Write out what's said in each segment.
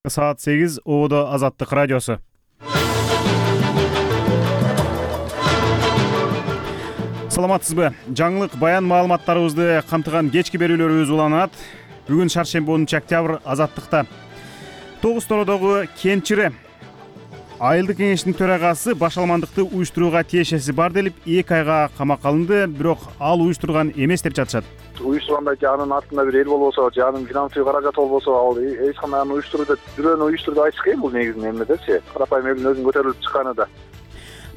Саат 8 Оодо Азаттык радиосу. Саламатсызбы? Жаңылык баян маалыматтарыбызды камтыган кечки берүүлөрүбүз уланат. Бүгүн шаршемби 10 октябрь Азаттыкта. Тогуз Тородогу Кенчире айылдык кеңештин төрагасы башалмандыкты уюштурууга тиешеси бар делип 2 айга камакка алынды, бирок ал уюштурган эмес деп жатышат. Уюштурганда жанын артында бир эл болбосо, жанын финансылык каражаты болбосо, ал эч кандай аны уюштурду, бирөөнү уюштурду айтыш кыйын. Бул негизинен эмнедечи? Карапайым элдин өзүнүн көтөрүлүп чыкканы да.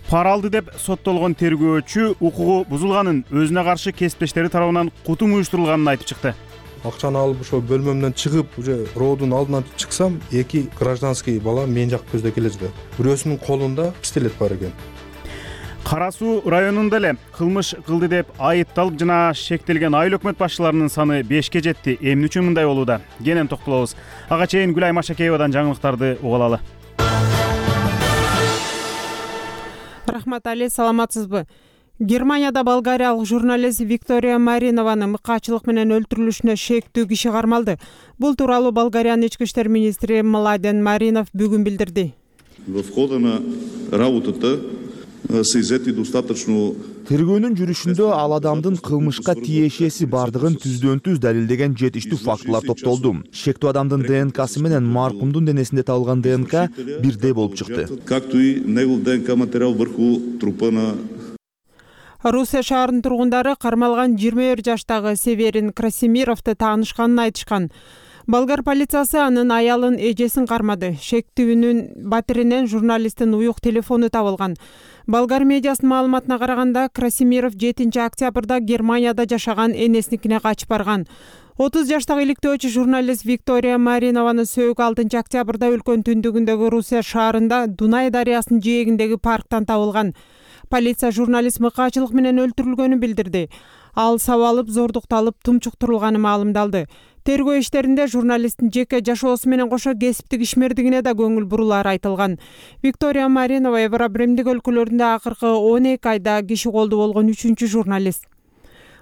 Пара алды деп соттолгон тергөөчү укугу бузулганын, өзүнө каршы кесиптештери тарабынан кутум уюштурулганын айтып чыкты. Акчаны алып ошо бөлмөмдөн чыгып, уже роодун алдынан чыксам, 2 гражданский бала мен жак көздөй кележди. Бирөөсүнүн колунда пистолет бар экен. Кара Суу районунда эле кылмыш кылды деп айыпталып жана шектелген айыл өкмөт башчыларынын саны 5ке жетти. Эмне үчүн мындай болууда? Кенен токтолобуз. Ага чейин Гүлай Машакеевадан жаңылыктарды угуп алалы. Рахмат Али, саламатсызбы? Германияда болгариялык журналист Виктория Маринованын мыкаачылык менен өлтүрүлүшүнө шектүү киши кармалды. Бул тууралуу Болгариянын ички иштер министри Младен Маринов бүгүн билдирди. Тергөөнүн жүрүшүндө ал адамдын кылмышка тиешеси бардыгын түздөн-түз далилдеген жетиштүү фактылар топтолду. Шектүү адамдын ДНКсы менен маркумдун денесинде табылган ДНК бирдей болуп чыкты. Русия шаарынын тургундары кармалган 21 жаштагы Северин Красимировду таанышканын айтышкан. Болгар полициясы анын аялын эжесин кармады. Шектүүнүн батиринен журналисттин уюк телефону табылган. Болгар медиасынын маалыматына караганда, Красимиров 7 октябрда Германияда жашаган энесиникине качып барган. 30 жаштагы иликтөөчү журналист Виктория Маринованы сөөгү 6 октябрда өлкөнүн түндүгүндөгү Русия шаарында Дунай дарыясынын жээгиндеги парктан табылган. Полиция журналист мыкаачылык менен өлтүрүлгөнүн билдирди. Ал сабалып, зордукталып, тумчуктурулганы маалымдалды. Тергөө иштеринде журналисттин жеке жашоосу менен кошо кесиптик ишмердигине да көңүл бурулары айтылган. Виктория Маринова Евробремдик өлкөлөрүндө акыркы 12 айда киши колду болгон 3-чү журналист.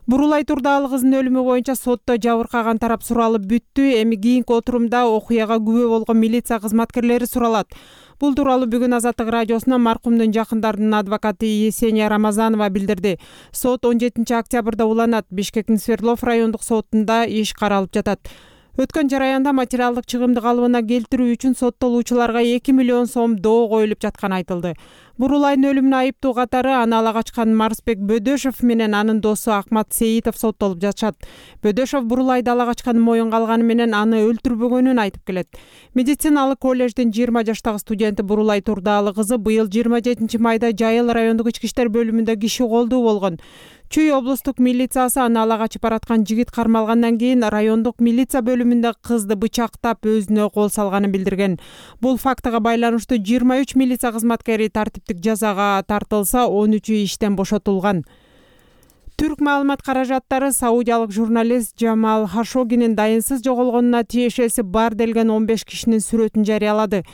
Бурулай турдагы кыздын өлүмү боюнча сотто жабыркаган тарап суралып бүттү. Эми кийинки отурумда окуяга күбө болгон милиция кызматкерлери суралат. Бул тууралуу бүгүн Азаттык радиосуна маркумдун жакындарынын адвокаты Есения Рамазанова билдирди. Сот 17 октябрда уланат. Бишкектин Свердлов райондук сотунда иш каралып жатат. Өткөн жараянда материалдык чыгымды калыбына келтирүү үчүн соттолуучуларга 2 миллион сом доо коюлуп жатканы айтылды. Бурулайдын өлүмүнө айыптуу катары аны ала качкан Марсбек Бөдөшов менен анын досу Акмат Сейитов соттолуп жатышат. Бөдөшов Бурулайды ала качканын моюнга алганы менен аны өлтүрбөгөнүн айтып келет. Медициналык коллеждин 20 жаштагы студенти Бурулай турдагы кызы быйыл 27 майда Жайыл райондук ички иштер бөлүмүндө киши колдуу болгон. Чүй облустук милициясы аны ала качып бараткан жигит кармалгандан кийин райондук милиция бөлүмүндө кызды бычактап өзүнө кол салганын билдирген. Бул фактыга байланыштуу 23 милиция кызматкери тартиптик жазага тартылса, 13-ü иштен бошотулган. Түрк маалымат каражаттары саудиялык журналист Джамал Хашогинин дайынсыз жоголгонуна тиешеси бар делген 15 кишинин сүрөтүн жарыялады.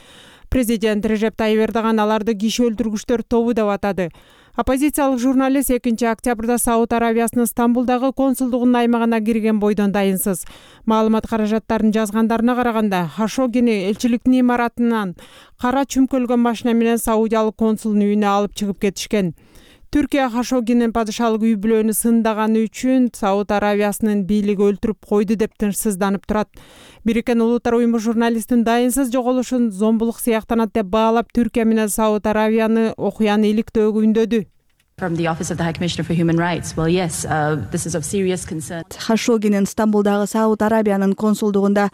Президент Режеп Тайип Эрдоган аларды киши өлтүргүчтөр тобу деп атады. Оппозициялык журналист 2 октябрда Сауд Аравиясынын Стамбулдагы консулдугунун аймагына кирген бойдон дайынсыз. Маалымат каражаттарынын жазгандарына караганда, Хашогини элчиликтин имаратынан кара чүмкөлгөн машина менен саудиялык консулдун үйүнө алып чыгып кетишкен. Түркия Хашогинин падышалык үй бүлөнү сындаганы үчүн Сауд Аравиясынын бийлиги өлтүрүп койду деп тынчсызданып турат. Бириккен Улуттар уюму журналисттин дайынсыз жоголушун зомбулук сыяктанат деп баалап, Түркия менен Сауд Аравияны окуяны иликтөөгө үндөдү. Хашогинин Стамбулдагы Сауд Аравиянын консулдугунда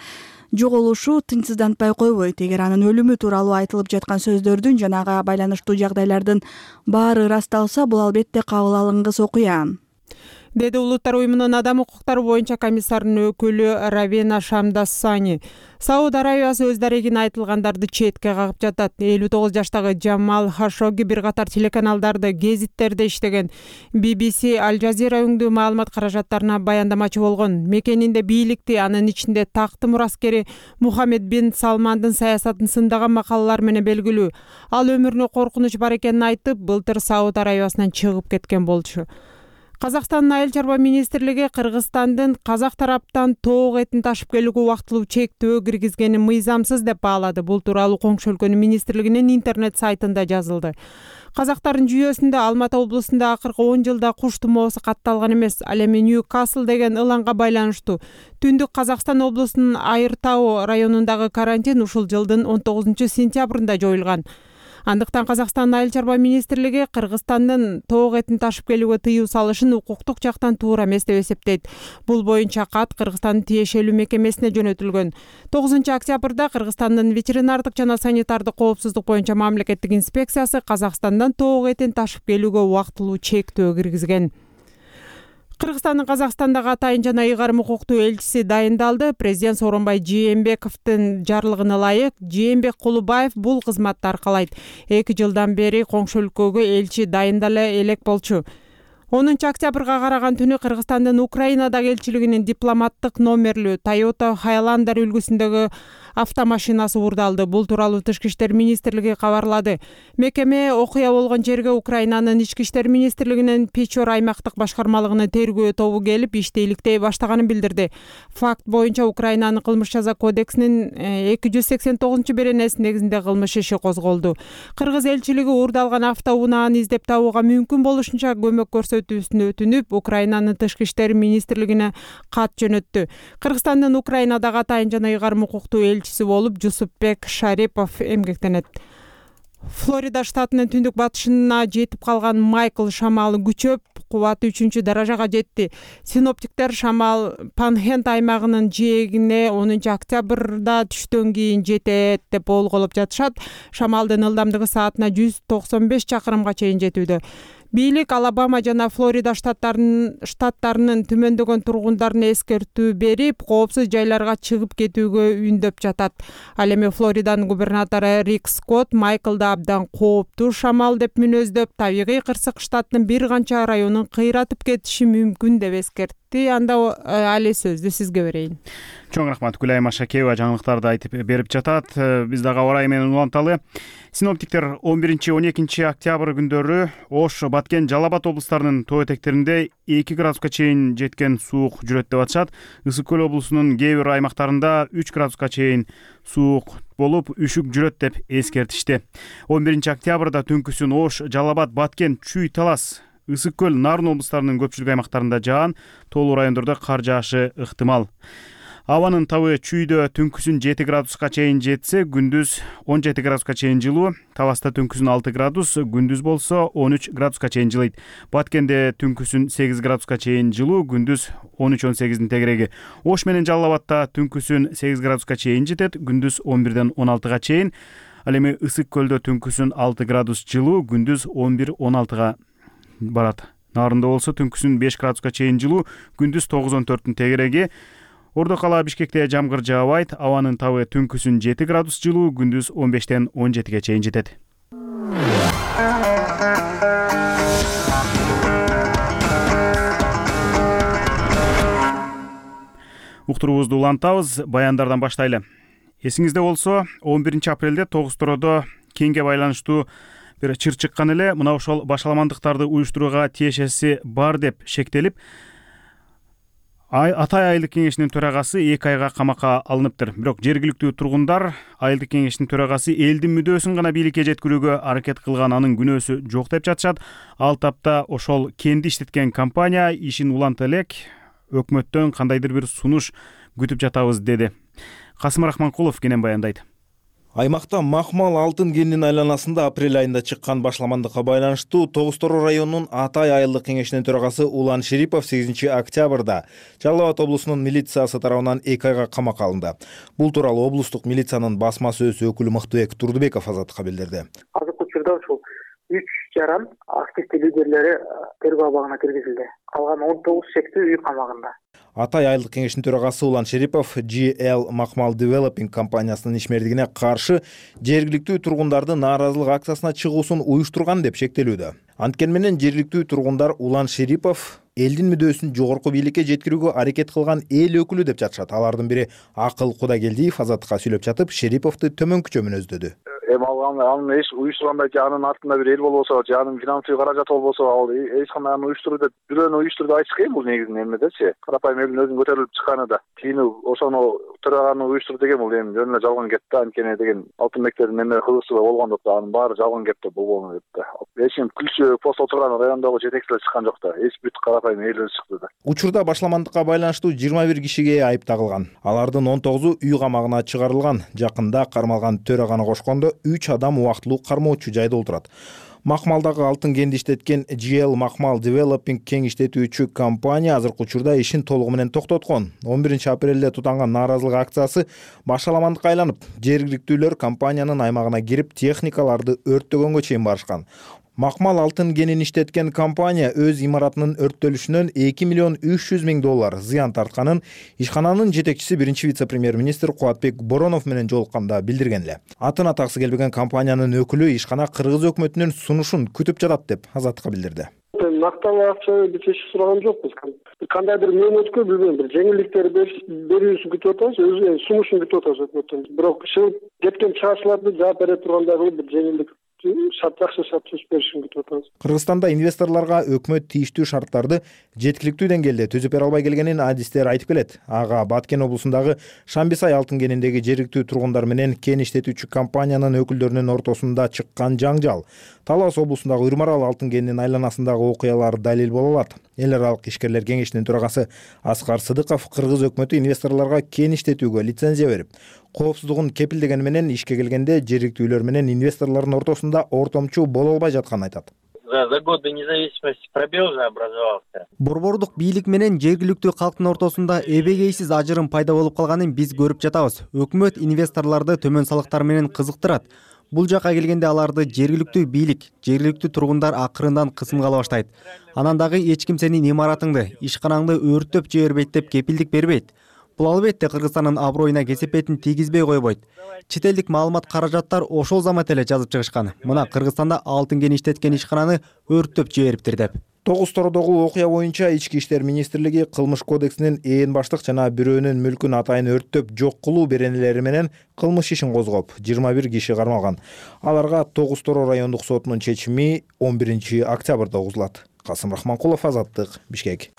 жоголушу тынчсыздантпай койбойт. Эгер анын өлүмү тууралуу айтылып жаткан сөздөрдүн жана ага байланыштуу жагдайлардын баары ырасталса, бул албетте кабыл алынгыс окуя, деди Улуттар уюмунун адам укуктары боюнча комиссарынын өкүлү Равена Шамдассани. Сауд Аравиясы өз дарегине айтылгандарды четке кагып жатат. 59 жаштагы Джамал Хашоги бир катар телеканалдарды, гезиттерде иштеген. BBC, Аль Жазира өңдүү маалымат каражаттарына баяндамачы болгон. Мекенинде бийликти, анын ичинде такты мураскери Мухаммед бин Салмандын саясатын сындаган макалалар менен белгилүү. Ал өмүрүнө коркунуч бар экенин айтып, былтыр Сауд Аравиясынан чыгып кеткен болчу. Казакстандын Айыл чарба министрлиги Кыргызстандын казак тараптан тоок этин ташып келүүгө убактылуу чектөө киргизгени мыйзамсыз деп баалады. Бул тууралуу коңшу өлкөнүн министрлигинин интернет сайтында жазылды. Казактардын жүйөсүндө Алматы облусунда акыркы 10 жылда куш тумоосу катталган эмес. Ал эми Нью-Касл деген ылаңга байланыштуу Түндүк Казакстан облусунун Айыр тау районундагы карантин ушул жылдын 19-сентябрында жоюлган. Андыктан Казакстандын Айыл чарба министрлиги Кыргызстандын тоок этин ташып келүүгө тыюу салышын укуктук жактан туура эмес деп эсептейт. Бул боюнча кат Кыргызстандын тиешелүү мекемесине жөнөтүлгөн. 9-октябрда Кыргызстандын ветеринардык жана санитардык коопсуздук боюнча мамлекеттик инспекциясы Казакстандан тоок этин ташып келүүгө убактылуу чектөө киргизген. Кыргызстандын Казакстандагы атайын жана ыйгарым укуктуу элчиси дайындалды. Президент Сооронбай Жээнбековдун жарлыгына ылайык Жээнбек Кулубаев бул кызматты аркалайт. 2 жылдан бери коңшу өлкөгө элчи дайындала элек болчу. 10-октябрга караган түнү Кыргызстандын Украинадагы элчилигинин дипломаттык номерлүү Toyota Highlander үлгүсүндөгү автомашинасы уурдалды. Бул тууралуу Тышкы иштер министрлиги кабарлады. Мекеме окуя болгон жерге Украинанын ички иштер министрлигинин Печор аймактык башкармалыгынын тергөө тобу келип ишти иликтей баштаганын билдирди. Факт боюнча Украинанын кылмыш жаза кодексинин 289-беренеси негизинде кылмыш иши козголду. Кыргыз элчилиги уурдалган автоунааны издеп табууга мүмкүн болушунча көмөк көрсөтүүсүнө өтүнүп, Украинанын Тышкы иштер министрлигине кат жөнөттү. Кыргызстандын Украинадагы атайын жана ыйгарым укуктуу элчиси болуп Жусупбек Шарипов эмгектенет. Флорида штатынын түндүк батышына жетип калган Майкл шамалы күчөп, кубаты 3-даражага жетти. Синоптиктер шамал Панхенд аймагынын жээгине 10-октябрда түштөн кийин жетет деп болголоп жатышат. Шамалдын ылдамдыгы саатына 195 чакырымга чейин жетүүдө. Бийлик Алабама жана Флорида штаттарынын түмөндөгөн тургундарына эскертүү берип, коопсуз жайларга чыгып кетүүгө үндөп жатат. Ал эми Флориданын губернатору Рик Скотт Майклды абдан кооптуу шамал деп мүнөздөп, табигый кырсык штаттын бир канча районун кыйратып кетиши мүмкүн деп эскертти. Анда али сөздү сизге берейин. Чоң рахмат. Гүлайым Ашакеева жаңылыктарды айтып берип жатат. Биз дагы аба ырайы менен уланталы. Синоптиктер 11-12 октябрь күндөрү Ош, Баткен, Жалал Абад облустарынын тоо этектеринде 2 градуска чейин жеткен суук жүрөт деп атышат. Ысык көл облусунун кээ бир аймактарында 3 градуска чейин суук болуп, үшүк жүрөт деп эскертишти. 11 октябрда түнкүсүн Ош, Жалал Абад, Баткен, Чүй, Талас, Ысык көл, Нарын облустарынын көпчүлүк аймактарында жаан, тоолуу райондордо кар жаашы ыктымал. Абанын табы Чүйдө түнкүсүн 7 градуска чейин жетсе, күндүз 17 градуска чейин жылуу. Таласта түнкүсүн 6 градус, күндүз болсо 13 градуска чейин жылыйт. Баткенде түнкүсүн 8 градуска чейин жылуу, күндүз 13-18 тегереги. Ош менен Жалал Абадта түнкүсүн 8 градуска чейин жетет, күндүз 11-ден 16 чейин. Ал эми Ысык көлдө түнкүсүн 6 градус жылуу, күндүз 11-16 барат. Нарында болсо түнкүсүн 5 градуска чейин жылуу, күндүз 9-14 тегереги. Ордо кала Бишкекте жамгыр жаабайт, абанын табы түнкүсүн 7 градус жылуу, күндүз 15-тен 17 чейин жетет. Уктуруубузду улантабыз, баяндардан баштайлы. Эсиңизде болсо, 11 апрелде Тогуз-Тородо кеңге байланыштуу бир чыр чыккан эле. Мына ошол башаламандыктарды уюштурууга тиешеси бар деп шектелип, Атай айылдык кеңешинин төрагасы 2 айга камакка алыныптыр. Бирок жергиликтүү тургундар айылдык кеңештин төрагасы элдин мүдөөсүн гана бийликке жеткирүүгө аракет кылган, анын күнөөсү жок деп жатышат. Ал тапта ошол кенди иштеткен компания ишин уланта элек, өкмөттөн кандайдыр бир сунуш күтүп жатабыз деди. Касым Рахманкулов кенен баяндайт. Аймакта макмал алтын кенинин айланасында апрель айында чыккан башаламандыкка байланыштуу Тогуз-Тороо районунун Атай айылдык кеңешинин төрагасы Улан Шерипов 8 октябрда Жалал Абад облусунун милициясы тарабынан 2 айга камакка алынды. Бул тууралуу облустук милициянын басма сөз өкүлү Мыктыбек Турдубеков Азаттыкка билдирди. Азыркы учурда ушул 3 жаран активдүү лидерлери тергөө абагына киргизилди. Калган 19 шектүү үй камагында. Атай айылдык кеңештин төрагасы Улан Шерипов GL Макмал Developing компаниясынын ишмердигине каршы жергиликтүү тургундардын нааразылык акциясына чыгуусун уюштурган деп шектелүүдө. Анткени менен жергиликтүү тургундар Улан Шерипов элдин мүдөөсүн жогорку бийликке жеткирүүгө аракет кылган эл өкүлү деп жатышат. Алардын бири Акыл Кудагелдиев Азаттыкка сүйлөп жатып, Шериповду төмөнкүчө мүнөздөдү. эми анын эч уюштургандай же анын артында бир эл болбосо же анын финансовый каражаты болбосо ал эч кандай аны уюштурду деп бирөөнү уюштурду айтыш кыйын бул негизинен эмнедечи. Карапайым элдин өзүнүн көтөрүлүп чыкканы да. Кийин ошону төраганы уюштурду деген бул эми жөн эле жалган кеп да. Анткени деген алтын мектебинин эме кызыкчылыгы болгондо да анын баары жалган кеп да болбону деп да. Эч ким күлчү пост отурган райондогу жетекчилер чыккан жок да. Эч бүт карапайым эл өзү чыкты да. Учурда башламандыкка байланыштуу 21 кишиге айып тагылган. Алардын 19-у үй камагына чыгарылган. Жакында кармалган төраганы кошкондо 3 адам убактылуу кармоочу жайда отурат. Макмалдагы алтын кенди иштеткен GL Макмал Developing кең иштетүүчү компания азыркы учурда ишин толугу менен токтоткон. 11 апрелде тутанган нааразылык акциясы башаламандыкка айланып, жергиликтүүлөр компаниянын аймагына кирип техникаларды өрттөгөнгө чейин барышкан. Макмал алтын кенин иштеткен компания өз имаратынын өрттөлүшүнөн $2,300,000 зыян тартканын ишкананын жетекчиси биринчи вице-премьер-министр Кубатбек Боронов менен жолукканда билдирген эле. Атын атаксы келбеген компаниянын өкүлү ишкана кыргыз өкмөтүнүн сунушун күтүп жатат деп Азаттыкка билдирди. Накталуу акча биз эч сураган жокпуз. Кандайдыр мөөнөткө билбейм бир жеңилдиктер берүүсүн күтүп атабыз, өзү сунушун күтүп атабыз өкмөттөн. Бирок чыгып кеткен чыгарчыларды жооп бере тургандай кылып бир жеңилдик жакшы шарт түзүп беришин күтүп атабыз. Кыргызстанда инвесторлорго өкмөт тийиштүү шарттарды жеткиликтүү деңгээлде түзүп бере албай келгенин адистер айтып келет. Ага Баткен облусундагы Шамбисай алтын кениндеги жергиликтүү тургундар менен кен иштетүүчү компаниянын өкүлдөрүнүн ортосунда чыккан жаңжал, Талас облусундагы Үрмарал алтын кенинин айланасындагы окуялар далил боло алат. Эл аралык ишкерлер кеңешинин төрагасы Аскар Сыдыков кыргыз өкмөтү инвесторлорго кен иштетүүгө лицензия берип, коопсуздугун кепилдегени менен ишке келгенде жергиликтүүлөр менен инвесторлордун ортосунда ортомчу боло албай жатканын айтат. За годы независимости пробел же образовался. Борбордук бийлик менен жергиликтүү калктын ортосунда эбегейсиз ажырым пайда болуп калганын биз көрүп жатабыз. Өкмөт инвесторлорду төмөн салыктар менен кызыктырат. Бул жака келгенде аларды жергиликтүү бийлик, жергиликтүү тургундар акырындан кысымга ала баштайт. Анан дагы эч ким сенин имаратыңды, ишканаңды өрттөп жибербейт деп кепилдик бербейт. Бул албетте Кыргызстандын аброюна кесепетин тийгизбей койбойт. Чет элдик маалымат каражаттар ошол замат эле жазып чыгышкан. Мына Кыргызстанда алтын кен иштеткен ишкананы өрттөп жибериптир деп. Тогуз Тородогу окуя боюнча Ички иштер министрлиги кылмыш кодексинин ээн баштык жана бирөөнүн мүлкүн атайын өрттөп жок кылуу беренелери менен кылмыш ишин козгоп, 21 киши кармалган. Аларга Тогуз Торо райондук сотунун чечими 11 октябрда угузулат. Касым Рахманкулов, Азаттык, Бишкек.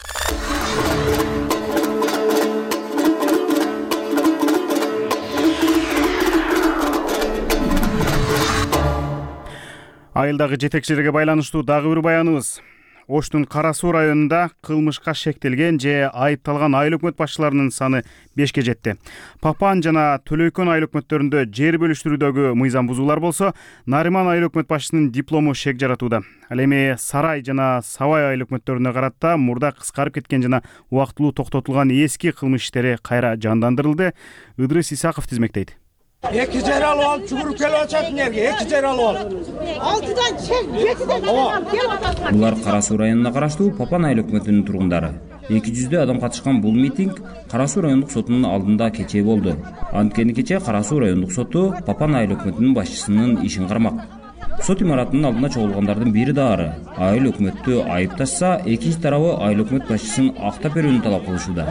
Айылдагы жетекчилерге байланыштуу дагы бир баяныбыз. Оштун Кара Суу районунда кылмышка шектелген же айыпталган айыл өкмөт башчыларынын саны 5ке жетти. Папан жана Төлөйкөн айыл өкмөттөрүндө жер бөлүштүрүүдөгү мыйзам бузуулар болсо, Нариман айыл өкмөт башчысынын диплому шек жаратууда. Ал эми Сарай жана Сабай айыл өкмөттөрүнө карата мурда кыскарып кеткен жана убактылуу токтотулган эски кылмыш иштери кайра жандандырылды. Ыдрыс Исаков тизмектейт. 2 жер алып алып чугуруп келип атат энерге, 2 жер алып алып. 6дан чек, 7ден келип атат. Булар Кара Суу районуна караштуу Папан айыл өкмөтүнүн тургундары. 200 адам катышкан бул митинг Кара Суу райондук сотунун алдында кечээ болду. Анткени кечээ Кара Суу райондук соту Папан айыл өкмөтүнүн башчысынын ишин кармак. Сот имаратынын алдына чогулгандардын бири дагы айыл өкмөттү айыпташса, экинчи тарабы айыл өкмөт башчысын актап берүүнү талап кылышууда.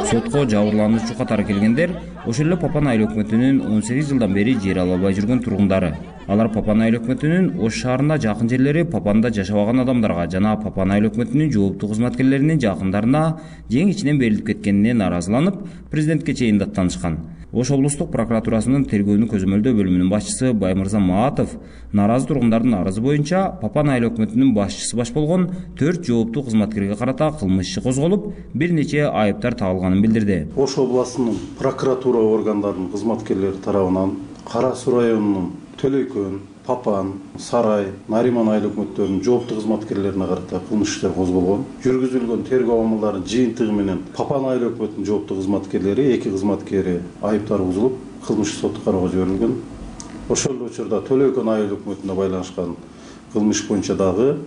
Сотко жабырлануучу катары келгендер ошол эле Папан айыл өкмөтүнүн 18 жылдан бери жер ала албай жүргөн тургундары. Алар Папан айыл өкмөтүнүн Ош шаарына жакын жерлери Папанда жашабаган адамдарга жана Папан айыл өкмөтүнүн жооптуу кызматкерлеринин жакындарына жең ичинен берилип кеткенине нааразыланып, президентке чейин даттанышкан. Ош облустук прокуратурасынын тергөөнү көзөмөлдөө бөлүмүнүн башчысы Баймырза Маатов нааразы тургундардын арызы боюнча Папан айыл өкмөтүнүн башчысы баш болгон 4 жооптуу кызматкерге карата кылмыш иши козголуп, бир нече айыптар тагылганын билдирди. Ош областынын прокуратура органдарынын кызматкерлери тарабынан Кара Суу районунун Төлөйкөн, Папан, Сарай, Нариман айыл өкмөттөрүнүн жооптуу кызматкерлерине карата кылмыш иштер козголгон. Жүргүзүлгөн тергөө амалдарынын жыйынтыгы менен Папан айыл өкмөтүнүн жооптуу кызматкерлери, 2 кызматкери айыптар бузулуп, кылмыш сотко кароого жиберилген. Ошол эле учурда Төлөйкөн айыл өкмөтүнө байланышкан кылмыш боюнча дагы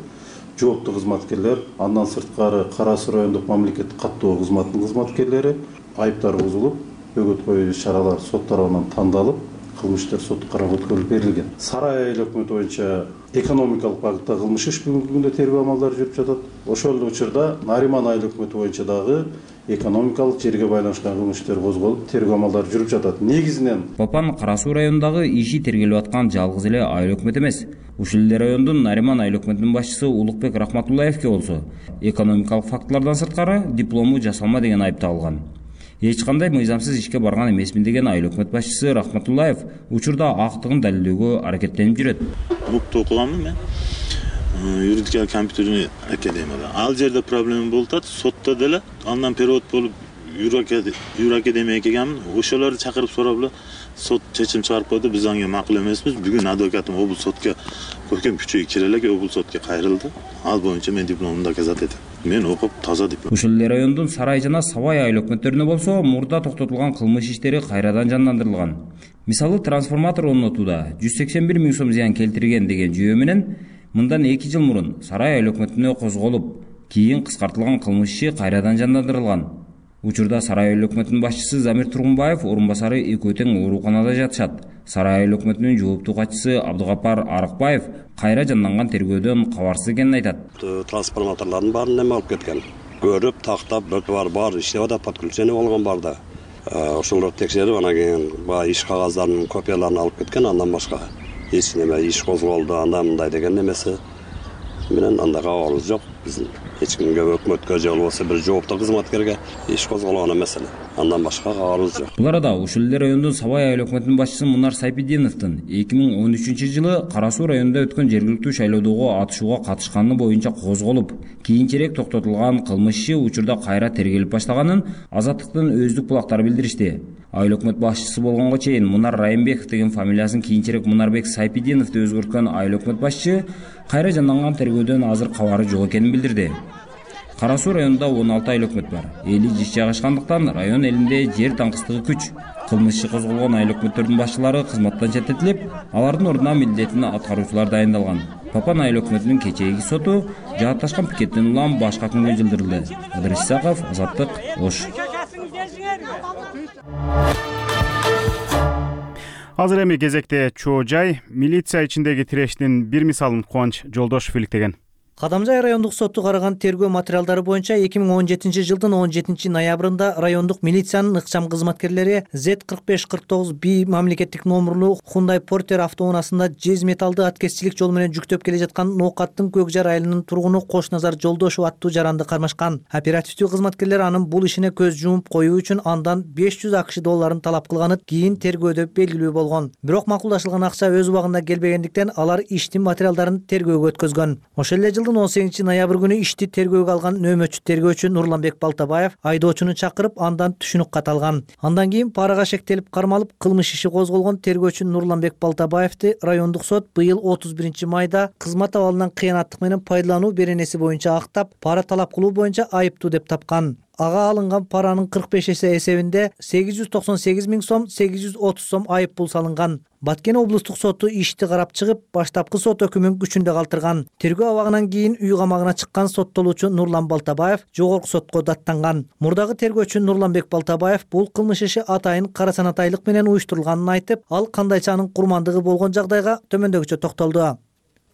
жооптуу кызматкерлер, андан сырткары Кара Суу райондук мамлекеттик каттоо кызматынын кызматкерлери айыптар бузулуп, бөгөт коюу чаралар сот тарабынан тандалып, кылмыш иштер сотко кароого өткөрүлүп берилген. Сарай айыл өкмөтү боюнча экономикалык багытта кылмыш иш бүгүнкү күндө тергөө амалдары жүрүп жатат. Ошол эле учурда Нариман айыл өкмөтү боюнча дагы экономикалык жерге байланышкан кылмыш иштери козголуп тергөө амалдары жүрүп жатат. Негизинен Попан Кара Суу районундагы иши тергелип аткан жалгыз эле айыл өкмөт эмес. Ушул эле райондун Нариман айыл өкмөтүнүн башчысы Улукбек Рахматуллаевке болсо экономикалык фактылардан сырткары диплому жасалма деген айып тагылган. Эч кандай мыйзамсыз ишке барган эмесмин деген айыл өкмөт башчысы Рахматуллаев учурда актыгын далилдөөгө аракеттенип жүрөт. УКТу окуганмын мен. Юридика компьютерный академияда. Ал жерде проблема болуп атат. Сотто деле андан перевод болуп юракадемияга келгенмин. Ошолорду чакырып сурап эле сот чечим чыгарып койду. Биз анга макул эмеспиз. Бүгүн адвокатым облус сотко Көркөм Күчөй кире элек облус сотко кайрылды. Ал боюнча мен дипломумду доказать этем. Мен окуп таза диплом. Ушул эле райондун Сарай жана Сабай айыл өкмөттөрүнө болсо мурда токтотулган кылмыш иштери кайрадан жандандырылган. Мисалы трансформатор орнотууда 181 миң сом зыян келтирген деген жүйө менен мындан 2 жыл мурун Сарай айыл өкмөтүнө козголуп, кийин кыскартылган кылмыш иши кайрадан жандандырылган. Учурда Сарай айыл өкмөтүнүн башчысы Замир Тургунбаев орун басары экөө тең ооруканада жатышат. Сарай айыл өкмөтүнүн жооптуу катчысы Абдыгапар Арыкбаев кайра жанданган тергөөдөн кабарсыз экенин айтат. Трансформаторлордун баарын неме алып кеткен. Көрүп, тактап, бар иштеп атат, подключение болгон бар да. Ошолорду текшерип, анан кийин баягы иш кагаздарынын копияларын алып кеткен, андан башка эч неме иш козголду, андай мындай деген немеси менен андай кабарыбыз жок. Биздин эч кимге, өкмөткө же болбосо бир жооптуу кызматкерге иш козголгон эмес эле. Андан башка кабарыбыз жок. Бул арада ушул эле райондун Сабай айыл өкмөтүнүн башчысы Мунар Сайпидиновдун 2013-жылы Кара Суу районунда өткөн жергиликтүү шайлоодогу атышууга катышканы боюнча козголуп, кийинчерээк токтотулган кылмыш иши учурда кайра тергелип баштаганын Азаттыктын өздүк булактары билдиришти. Айыл өкмөт башчысы болгонго чейин Мунар Райымбеков деген фамилиясын кийинчерээк Мунарбек Сайпидиновду өзгөрткөн айыл өкмөт башчы кайра жанданган тергөөдөн азыр кабары жок экенин билдирди. Кара Суу районунда 16 айыл өкмөт бар. Эли жиш жайгашкандыктан район элинде жер таңкыстыгы күч. Кылмыш иши козголгон айыл өкмөттөрдүн башчылары кызматтан четтетилип, алардын ордуна милдетин аткаруучулар дайындалган. Попан айыл өкмөтүнүн кечээги соту жаатташкан пикеттен улам башка күнгө жылдырылды. Ыдырыс Исаков, Азаттык, Ош. Азыр эми кезекте Чоо Жай милиция ичиндеги тирештин бир мисалын Кубанч Жолдошов иликтеген. Кадамжай райондук соту караган тергөө материалдары боюнча 2017-жылдын 17-ноябрында райондук милициянын ыкчам кызматкерлери Z4549B мамлекеттик номерлуу Hyundai Porter автоунаасында жез металлды аткезчилик жол менен жүктөп келе жаткан Ноокаттын Көкжар айылынын тургуну Кошназар Жолдошов аттуу жаранды кармашкан. Оперативдүү кызматкерлер анын бул ишине көз жумуп коюу үчүн андан 500 АКШ долларын талап кылганы кийин тергөөдө белгилүү болгон. Бирок макулдашылган акча өз убагында келбегендиктен алар иштин материалдарын тергөөгө өткөзгөн. Ошол эле 18-ноябрь күнү ишти тергөөгө алган нөөмөчү тергөөчү Нурланбек Балтабаев айдоочуну чакырып, андан түшүнүк кат алган. Андан кийин парага шектелип кармалып, кылмыш иши козголгон тергөөчү Нурланбек Балтабаевди райондук сот быйыл 31-майда кызмат абалынан кыянаттык менен пайдалануу беренеси боюнча актап, пара талап кылуу боюнча айыптуу деп тапкан. Ага алынган паранын 45 эсе эсебинде 898 миң сом, 830 сом айып пул салынган. Баткен облустук соту ишти карап чыгып, баштапкы сот өкүмүн күчүндө калтырган. Тергөө абагынан кийин үй камагына чыккан соттолуучу Нурлан Балтабаев жогорку сотко даттанган. Мурдагы тергөөчү Нурланбек Балтабаев бул кылмыш иши атайын кара санатайлык менен уюштурулганын айтып, ал кандайча анын курмандыгы болгон жагдайга төмөндөгүчө токтолду.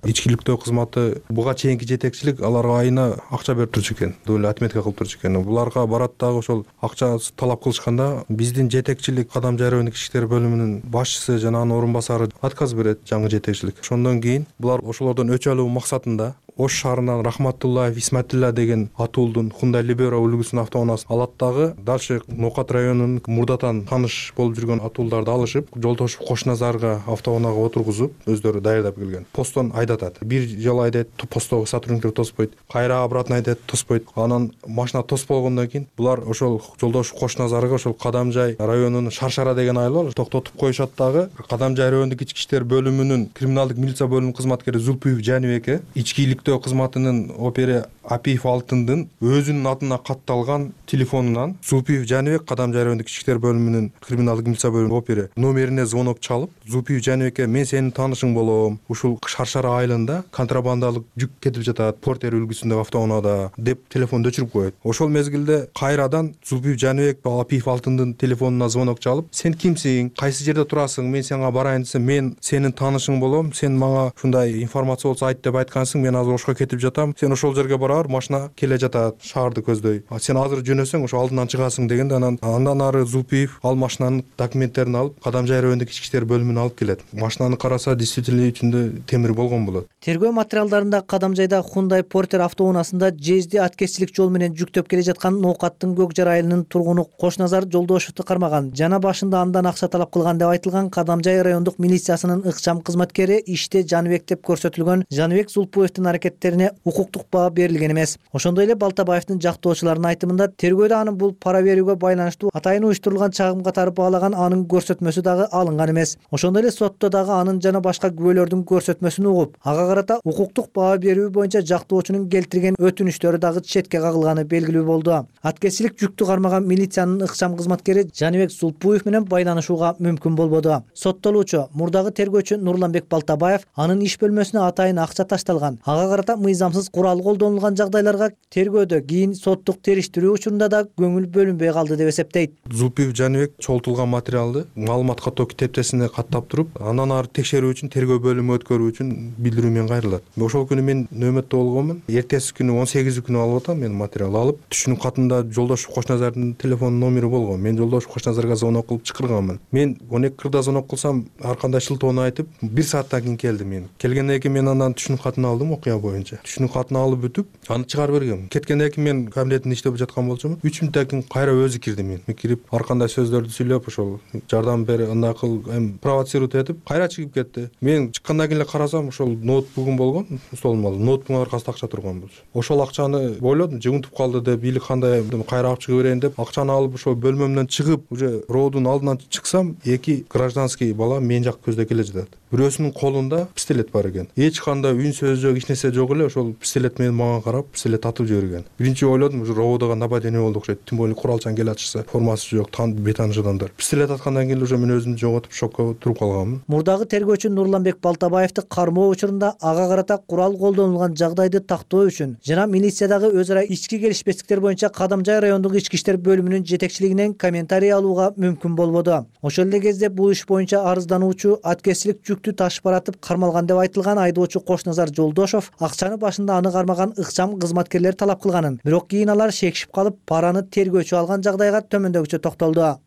Ичкиликтөө кызматы буга чейинки жетекчилик аларга айына акча берип турчу экен, доля отметка кылып турчу экен. Буларга барат дагы ошол акча талап кылышканда биздин жетекчилик Кадамжай райондук ички иштер бөлүмүнүн башчысы жана анын орун басары отказ берет, жаңы жетекчилик. Ошондон кийин булар ошолордон өч алуу максатында Ош шаарынан Рахматуллаев Исматилла деген атуулдун Hyundai Libero үлгүсүнүн автоунаасын алат дагы дальше Ноокат районунун мурдатан тааныш болуп жүргөн атуулдарды алышып, Жолдошов Кошназарга автоунаага отургузуп, өздөрү даярдап келген. Постон айдатат. Бир жолу айдайт, постогу сотрудниктер тоспойт. Кайра обратно айдайт, тоспойт. Анан машина тосуп болгондон кийин булар ошол Жолдошов Кошназарга ошол Кадамжай районунун Шаршара деген айыл бар, токтотуп коюшат дагы. Кадамжай райондук ички иштер бөлүмүнүн криминалдык милиция бөлүмүнүн кызматкери Зулпуев Жаныбекке ичкилик кызматынын опери Апиев Алтындын өзүнүн атына катталган телефонунан Зулпуев Жаныбек Кадамжай райондук ички иштер бөлүмүнүн криминалдык милиция бөлүмүнүн опери номерине звонок чалып, Зулпуев Жаныбекке мен сенин таанышың болом. Ушул Шаршара айылында контрабандалык жүк кетип жатат, Портер үлгүсүндөгү автоунаада деп телефонду өчүрүп коет. Ошол мезгилде кайрадан Зулпуев Жаныбек Апиев Алтындын телефонуна звонок чалып, сен кимсиң, кайсы жерде турасың, мен сага барайын десем, мен сенин таанышың болом, сен мага ушундай информация болсо айт деп айткансың, мен азыр ошко кетип жатам, сен ошол жерге бара бер, машина келе жатат шаарды көздөй, сен азыр жөнөсөң ошо алдынан чыгасың дегенде, андан ары Зулпиев ал машинанын документтерин алып Кадамжай райондук ички иштер бөлүмүнө алып келет. Машинаны караса, действительно ичинде темир болгон болот. Тергөө материалдарында Кадамжайда Hyundai Porter автоунаасында жезди аткезчилик жол менен жүктөп келе жаткан Ноокаттын Көкжар айылынын тургуну Кошназар Жолдошевду кармаган жана башында андан акча талап кылган деп айтылган Кадамжай райондук милициясынын ыкчам кызматкери иште Жаныбек деп көрсөтүлгөн Жаныбек Зулпуевдин аракеттерине укуктук баа берилген эмес. Ошондой эле Балтабаевдин жактоочуларынын айтымында тергөөдө анын бул пара берүүгө байланыштуу атайын уюштурулган чагым катары баалаган анын көрсөтмөсү дагы алынган эмес. Ошондой эле сотто дагы анын жана башка күбөлөрдүн көрсөтмөсүн угуп, ага карата укуктук баа берүү боюнча жактоочунун келтирген өтүнүчтөрү дагы четке кагылганы белгилүү болду. Аткезчилик жүктү кармаган милициянын ыкчам кызматкери Жаныбек Зулпуев менен байланышууга мүмкүн болбоду. Соттолуучу мурдагы тергөөчү Нурланбек Балтабаев анын иш бөлмөсүнө атайын акча ташталган, ага карата мыйзамсыз курал колдонулган жагдайларга тергөөдө кийин соттук териштирүү учурунда да көңүл бөлүнбөй калды деп эсептейт. Зулпиев Жаныбек чогултулган материалды маалымат каттоо китептесине каттап туруп, андан ары текшерүү үчүн тергөө бөлүмү өткөрүү үчүн билдирүү менен кайрылат. Ошол күнү мен нөөмөттө болгонмун. Эртеси күнү 18 күнү алып атам, мен материал алып, түшүнүк катында Жолдошев Кошназардын телефон номери болгон. Мен Жолдошев Кошназарга звонок кылып чакырганмын. Мен 12:40 звонок кылсам, ар кандай шылтоону айтып, 1 сааттан кийин келди мен. Келгенден кийин мен андан түшүнүк катын алдым окуя боюнча. Түшүнүк катын алып бүтүп, аны чыгарып бергем. Кеткенден кийин мен кабинетинде иштеп жаткан болчумун. 3 мүнөттөн кийин кайра өзү кирди мен. Мен кирип, ар кандай сөздөрдү сүйлөп, ошол жардам бер, андай кыл, провоцировать этип, кайра чыгып кетти. Мен чыккандан кийин эле карасам, ошол ноутбугум болгон, столума алып, ноутбугун аркасында акча турган болчу. Ошол акчаны ойлодум, жыгынтып калды деп, или кандай кайра алып чыгып берейин деп, акчаны алып ошол бөлмөмдөн чыгып, уже роодун алдынан чыксам, 2 гражданский бала мен жак көздөй келе жатат. Бирөөсүнүн колунда пистолет бар экен. Эч кандай үн сөз жок, эч нерсе жок эле, ошол пистолет менен мага карап, пистолет атып жиберген. Биринчи ойлодум, уже роодого нападение болду окшойт. Тем более куралчан келе атышса, формасы жок, бетаныш адамдар. Пистолет аткандан кийин уже мен өзүмдү жоготуп, шокко туруп калганмын. Мурдагы тергөөчү Нурланбек Балтабаевди кармоо учурунда ага карата курал колдонулган жагдайды тактоо үчүн жана милициядагы өз ара ички келишпестиктер боюнча Кадамжай райондук ички иштер бөлүмүнүн жетекчилигинен комментарий алууга мүмкүн болбоду. Ошол эле кезде бул иш боюнча арыздануучу аткезчилик жүктү ташып баратып кармалган деп айтылган айдоочу Кошназар Жолдошев акчаны башында аны кармаган ыкчам кызматкерлер талап кылганын, бирок кийин алар шекишип калып, параны тергөөчү алган жагдайга төмөндөгүчө токтолду.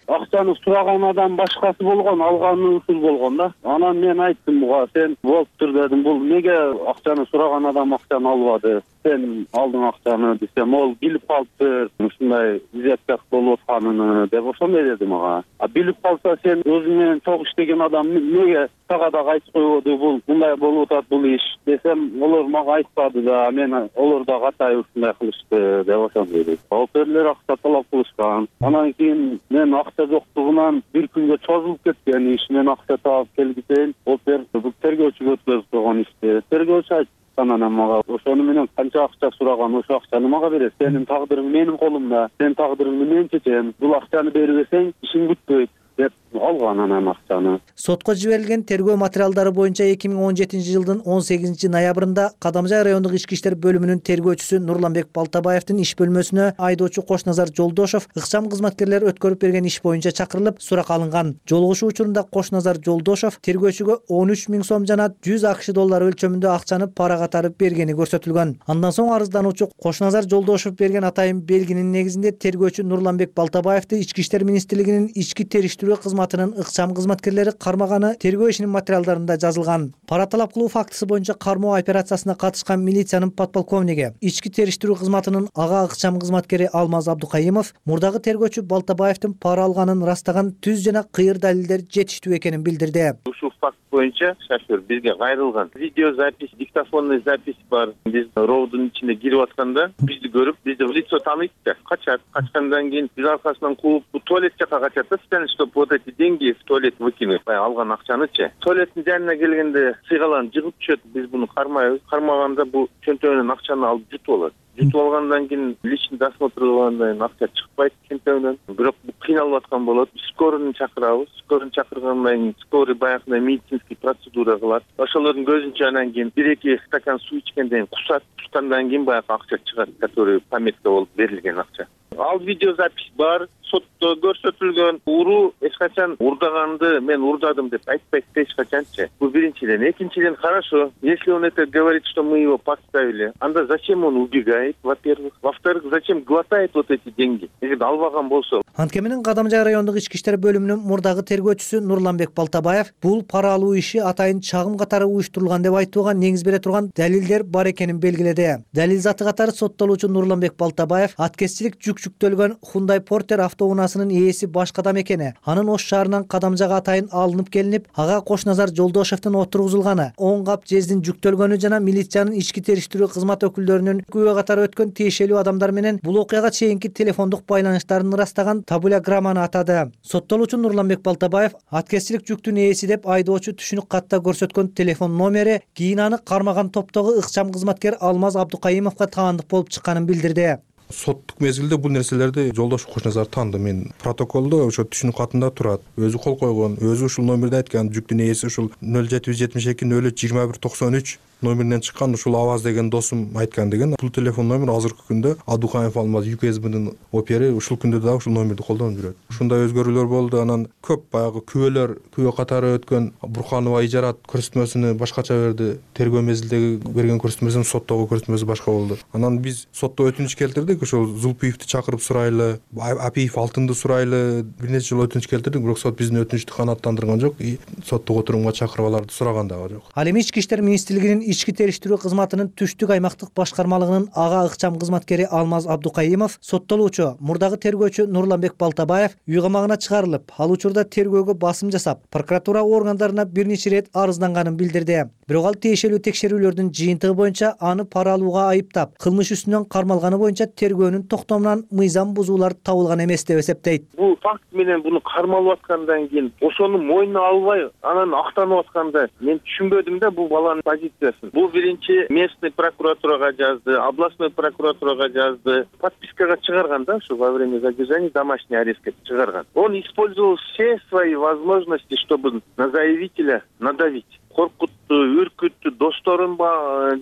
Акчаны сураган адам башкасы болгон, алганы ушул болгон да. Анан мен айттым буга, сен болуптур дедим, бул эмнеге акчаны сураган адам акчаны албады? Сен алдың акчаны десем, ол билип калыптыр, ушундай изепкак болуп атканын деп ошондой деди мага. А билип калса, сен өзүң менен чогуу иштеген адам эмнеге тага дагы айтып койбоду, бул мындай болуп атат бул иш десем, олар мага айтпады да, мен олар да катай ушундай кылышты деп ошондой деди. Оперлер акча талап кылышкан. Анан кийин мен акча жоктугунан бир күнгө чозулуп кеткен иш, мен акча таап келгисейин, опер бул тергөөчүгө өткөзүп койгон ишти. Тергөөчү айтты анан мага, ошону менен канча акча сураган, ошо акчаны мага берет. Сенин тагдырың менин колумда, сен тагдырыңды мен чечем. Бул акчаны бербесең ишиң бүтпөйт деп алган анан акчаны. Сотко жиберилген тергөө материалдары боюнча 2017 жылдын 18 ноябрында Кадамжай райондук ички иштер бөлүмүнүн тергөөчүсү Нурланбек Балтабаевдин иш бөлмөсүнө айдоочу Кошназар Жолдошев ыкчам кызматкерлер өткөрүп берген иш боюнча чакырылып, сурак алынган. Жолугушуу учурунда Кошназар Жолдошев тергөөчүгө 13 000 сом жана 100 АКШ доллары өлчөмүндө акчаны пара катары бергени көрсөтүлгөн. Андан соң арыздануучу Кошназар Жолдошев берген атайын белгинин негизинде тергөөчү Нурланбек Балтабаевди Ички иштер министрлигинин ички териштирүү кызматынын ыкчам кызматкерлери кармаганы тергөө ишинин материалдарында жазылган. Пара талап кылуу фактысы боюнча кармоо операциясына катышкан милициянын подполковниги, ички териштирүү кызматынын ага ыкчам кызматкери Алмаз Абдукайымов мурдагы тергөөчү Балтабаевдин пара алганын ырастаган түз жана кыйыр далилдер жетиштүү экенин билдирди. Ушул факт боюнча шофер бизге кайрылган. Видеозапись, диктофонный запись бар. Биз роудун ичинде кирип атканда бизди көрүп, бизди в лицо тааныйт да. Качат. Качкандан кийин биз аркасынан кууп, бу туалет жака качат да, чтобы вот эти деньги в туалет выкинуть. Алган акчанычы. Туалеттин жанына келгенде сыйгаланып жыгып түшөт. Биз буну кармайбыз. Кармаганда бу чөнтөгүнөн акчаны алып жутуп алат. Жутуп алгандан кийин личный досмотр кылгандан кийин акча чыкпайт чөнтөгүнөн. Бирок бу кыйналып аткан болот. Скорыйны чакырабыз. Скорыйны чакыргандан кийин скорый баягындай медицинский процедура кылат. Ошолордун көзүнчө анан кийин 1-2 стакан суу ичкенден кийин кусат. Кускандан кийин баягы акча чыгат, который пометка болуп берилген акча. Ал видеозапись бар, сотто көрсөтүлгөн. Уруу эч качан урдаганды мен урдадым деп айтпайт эч качанчы. Бул биринчиден. Экинчиден, хорошо, если он это говорит, что мы его подставили, анда зачем он убегает, во-первых. Во-вторых, зачем глотает вот эти деньги? Эгер албаган болсо. Антке менен Кадамжай райондук ички иштер бөлүмүнүн мурдагы тергөөчүсү Нурланбек Балтабаев бул пара алуу иши атайын чагым катары уюштурулган деп айтууга негиз бере турган далилдер бар экенин белгиледи. Далил заты катары соттолуучу Нурланбек Балтабаев аткезчилик жүк жүктөлгөн Hyundai Porter автоунаасынын ээси башка адам экени, анын Ош шаарынан Кадамжайга атайын алынып келинип, ага Кошназар Жолдошевдин отургузулганы, 10 кап жездин жүктөлгөнү жана милициянын ички териштирүү кызмат өкүлдөрүнүн күбө катары өткөн тиешелүү адамдар менен бул окуяга чейинки телефондук байланыштарын ырастаган табуляграмманы атады. Соттолуучу Нурланбек Балтабаев аткезчилик жүктүн ээси деп айдоочу түшүнүк катта көрсөткөн телефон номери кийин аны кармаган топтогу ыкчам кызматкер Алмаз Абдукайымовго таандык болуп чыкканын билдирди. Соттук мезгилде бул нерселерди Жолдошев Кошназар тааныды. Мен протоколдо ошо түшүнүк катында турат. Өзү кол койгон, өзү ушул номерди айткан, жүктүн ээси ушул 0772 02193 номеринен чыккан, ушул Аваз деген досум айткан деген. Бул телефон номер азыркы күндө Абдукаев Алмаз ЮКСБнын опери ушул күндө дагы ушул номерди колдонуп жүрөт. Ушундай өзгөрүүлөр болду. Анан көп баягы күбө катары өткөн Бурханова Ижарат көрсөтмөсүнү башкача берди. Тергөө мезгилдеги берген көрсөтмөсүнүн соттогу көрсөтмөсү башка болду. Анан биз сотто өтүнүч келтирдик. Ошол Зулпиевди чакырып сурайлы, Апиев Алтынды сурайлы, бир нече жолу өтүнүч келтирдик, бирок сот биздин өтүнүчтү канааттандырган жок. Соттук отурумга чакырып аларды сураган дагы жок. Ал эми Ички иштер министрлигинин ички териштирүү кызматынын түштүк аймактык башкармалыгынын ага ыкчам кызматкери Алмаз Абдукайымов соттолуучу мурдагы тергөөчү Нурланбек Балтабаев үй камагына чыгарылып, ал учурда тергөөгө басым жасап, прокуратура органдарына бир нече ирет арызданганын билдирди. Бирок ал тиешелүү текшерүүлөрдүн жыйынтыгы боюнча аны пара алууга айыптап, кылмыш үстүнөн кармалганы боюнча тергөөнүн токтомунан мыйзам бузуулар табылган эмес деп эсептейт. Бул факт менен буну кармалып аткандан кийин ошону мойнуна албай анан актанып атканда мен түшүнбөдүм да бул баланын позициясын. Бул биринчи местный прокуратурага жазды, областной прокуратурага жазды, подпискага чыгарган да, что во время задержания домашний арестке чыгарган. Он использовал все свои возможности, чтобы на заявителя надавить. Коркутту, үркүттү, досторун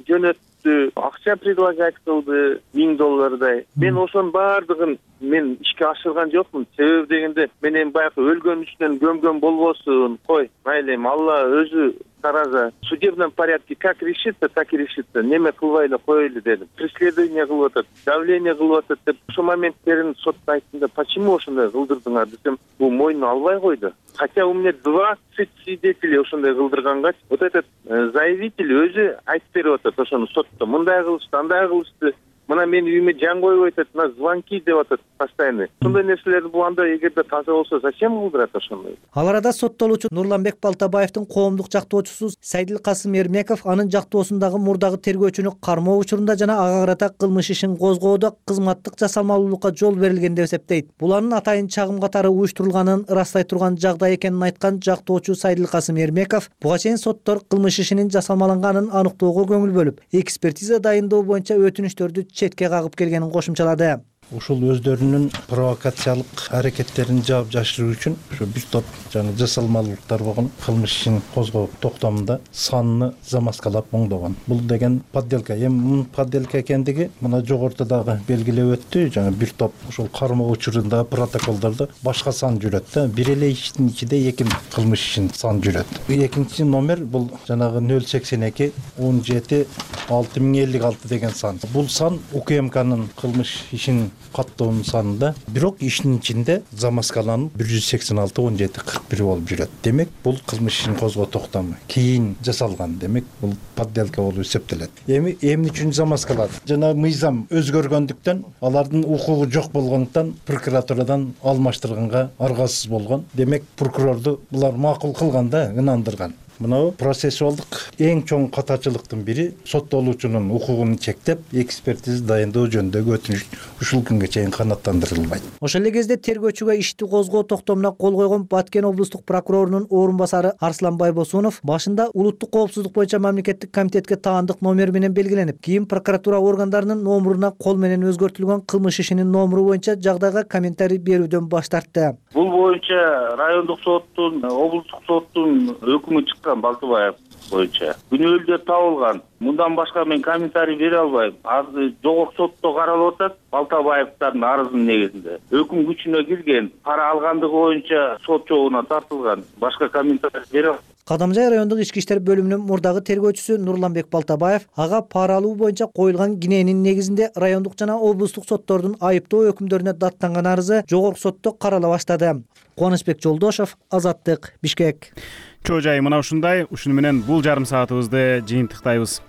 жөнөттү, акча предлагать кылды, $1000. Мен ошонун баардыгын мен ишке ашырган жокмун. Себеби дегенде мен эми баягы өлгөн үстүнөн gömгөн болбосун. Кой, майли эми Алла өзү тараза. В судебном порядке как решится, так и решится. Неме кылбайлы коелу дедим. Преследование кылып атат, давление кылып атат деп ошол моменттерин сотто айттымда, почему ошондой кылдырдыңар десем, бул мойнуна албай койду. Хотя у меня 20 свидетелей ошондой кылдырганга, вот этот заявитель өзү айтып берип атат ошону сотто. Мындай кылышты, андай кылышты. Мына мен үйүмө жан коюп атат, мына звонки деп атат постоянно. Ошондой нерселерди бул анда эгерде таза болсо, зачем кылдырат ошондой? Ал арада соттолуучу Нурланбек Балтабаевдин коомдук жактоочусу Сайдылкасым Эрмеков анын жактоосундагы мурдагы тергөөчүнү кармоо учурунда жана ага карата кылмыш ишин козгоодо кызматтык жасалмалуулукка жол берилген деп эсептейт. Бул анын атайын чагым катары уюштурулганын ырастай турган жагдай экенин айткан жактоочу Сайдылкасым Эрмеков буга чейин соттор кылмыш ишинин жасалмаланганын аныктоого көңүл бөлүп, экспертиза дайындоо боюнча өтүнүчтөрдү четке кагып келгенин кошумчалады. Ушул өздөрүнүн провокациялык аракеттерин жаап жашыруу үчүн ушу бир топ жана жасалмалуулуктар болгон кылмыш ишин козгоо токтомунда санын замаскалап оңдогон. Бул деген подделка. Эми мунун подделка экендиги мына жогоруда дагы белгилеп өттү. Жана бир топ ушул кармоо учурунда протоколдордо башка сан жүрөт да. Бир эле иштин ичинде эки кылмыш ишин сан жүрөт. Экинчи номер бул жанагы 082 17 6056 деген сан. Бул сан УКМКнын кылмыш ишин каттоонун санында, бирок иштин ичинде замаскаланып 186 17 41 болуп жүрөт. Демек, бул кылмыш ишин козгоо токтому кийин жасалган. Демек, бул подделка болуп эсептелет. Эми эмне үчүн замаскалат? Жана мыйзам өзгөргөндүктөн, алардын укугу жок болгондуктан прокуратурадан алмаштырганга аргасыз болгон. Демек, прокурорду булар макул кылган да, ынандырган. Мына процессуалдык эң чоң катачылыктын бири соттолуучунун укугун чектеп, экспертиза дайындоо жөнүндөгү өтүнүч ушул күнгө чейин канааттандырылбайт. Ошол эле кезде тергөөчүгө ишти козгоо токтомуна кол койгон Баткен облустук прокурорунун орун басары Арслан Байбосунов башында улуттук коопсуздук боюнча мамлекеттик комитетке таандык номер менен белгиленип, кийин прокуратура органдарынын номуруна кол менен өзгөртүлгөн кылмыш ишинин номуру боюнча жагдайга комментарий берүүдөн баш тартты. Бул боюнча райондук соттун, облустук соттун өкүмү чыккан Балтабаев. боюнча күнөөлдөр табылган. Мындан башка мен комментарий бере албайм. Азыр жогорку сотто каралып атат Балтабаевдардын арызынын негизинде. Өкүм күчүнө кирген, пара алгандыгы боюнча сот жообуна тартылган. Башка комментарий бере албайм. Кадамжай райондук ички иштер бөлүмүнүн мурдагы тергөөчүсү Нурланбек Балтабаев ага пара алуу боюнча коюлган киненин негизинде райондук жана облустук соттордун айыптоо өкүмдөрүнө даттанган арызы жогорку сотто карала баштады. Кубанычбек Жолдошов, Азаттык, Бишкек. Чоо жай мына ушундай. Ушуну менен бул жарым саатыбызды жыйынтыктайбыз.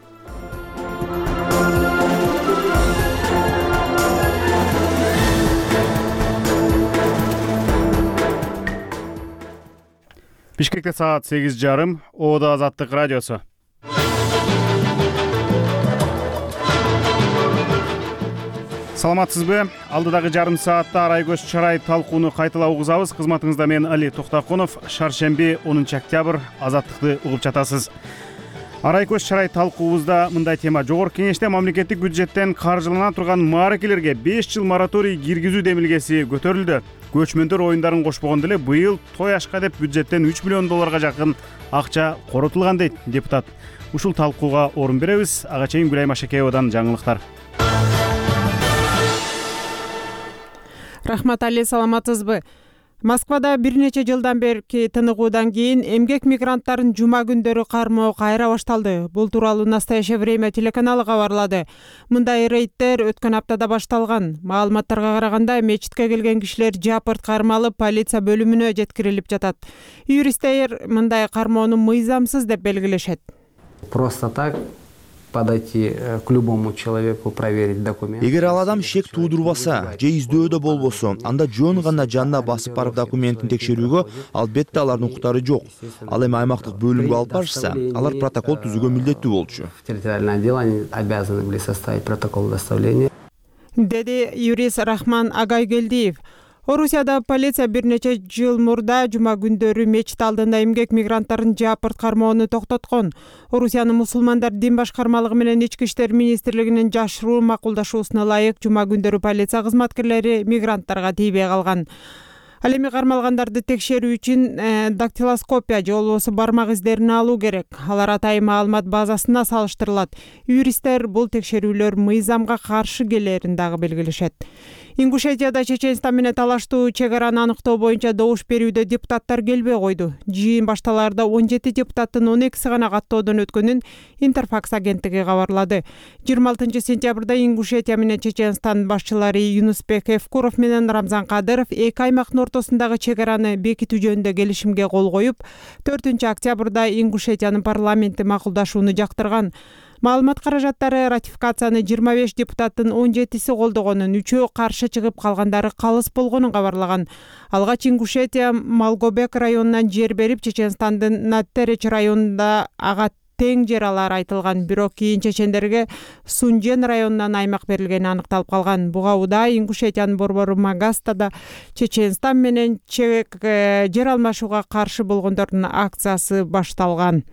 Бишкекте саат 8:30. Оодо Азаттык радиосу. Саламатсызбы? Алдыдагы жарым саатта арай көз чарай талкууну кайталап угузабыз. Кызматыңызда мен Али Токтокунов. Шаршемби 10 октябрь Азаттыкты угуп жатасыз. Арай көз чарай талкуубузда мындай тема: жогорку кеңеште мамлекеттик бюджеттен каржылана турган мааракелерге 5 жыл мораторий киргизүү демилгеси көтөрүлдү. Көчмөндөр оюндарын кошпогондо эле быйыл той ашка деп бюджеттен 3 миллион долларга жакын акча коротулган дейт депутат. Ушул талкууга орун беребиз. Ага чейин Гүлайым Ашакеевадан жаңылыктар. Рахмат Али, саламатсызбы? Москвада бир нече жылдан берки тыныгуудан кийин эмгек мигранттарын жума күндөрү кармоо кайра башталды. Бул тууралуу «Настоящее время» телеканалы кабарлады. Мындай рейдтер өткөн аптада башталган. Маалыматтарга караганда мечитке келген кишилер жапырт кармалып, полиция бөлүмүнө жеткирилип жатат. Юристтер мындай кармоону мыйзамсыз деп белгилешет. Просто так подойти к любому человеку, проверить документы. Эгер ал адам шек туудурбаса же издөөдө болбосо, анда жөн гана жанына басып барып документин текшерүүгө албетте алардын укуктары жок. Ал эми аймактык бөлүмгө алып барышса, алар протокол түзүүгө милдеттүү болчу. В территориальное отдел они обязаны были составить протокол доставления. Деди юрист Рахман Агайгелдиев. Орусияда полиция бир нече жыл мурда жума күндөрү мечит алдында эмгек мигранттарын жапырт кармоону токтоткон. Орусиянын мусулмандар дин башкармалыгы менен Ички иштер министрлигинин жашыруу макулдашуусуна ылайык жума күндөрү полиция кызматкерлери мигранттарга тийбей калган. Ал эми кармалгандарды текшерүү үчүн дактилоскопия же болбосо бармак издерин алуу керек. Алар атайын маалымат базасына салыштырылат. Юристтер бул текшерүүлөр мыйзамга каршы келерин дагы белгилешет. Ингушетияда Чеченстан менен талаштуу чек араны аныктоо боюнча добуш берүүдө депутаттар келбей койду. Жыйын башталаарда 17 депутаттын 12си гана каттоодон өткөнүн Интерфакс агенттиги кабарлады. 26 сентябрда Ингушетия менен Чеченстан башчылары Юнусбек Евкуров менен Рамзан Кадыров эки аймактын ортосундагы чек араны бекитүү жөнүндө келишимге кол коюп, 4 октябрда Ингушетиянын парламенти макулдашууну жактырган. Маалымат каражаттары ратификацияны 25 депутаттын 17си колдогонун, 3-өө каршы чыгып калгандары калыс болгонун кабарлаган. Алгач Ингушетия Малгобек районунан жер берип, Чеченстандын Наттереч районунда ага тең жер алары айтылган. Бирок кийин чечендерге Сунжен районунан аймак берилгени аныкталып калган. Буга Уда Ингушетиянын борбору Магастада Чеченстан менен жер алмашууга каршы болгондордун акциясы башталган.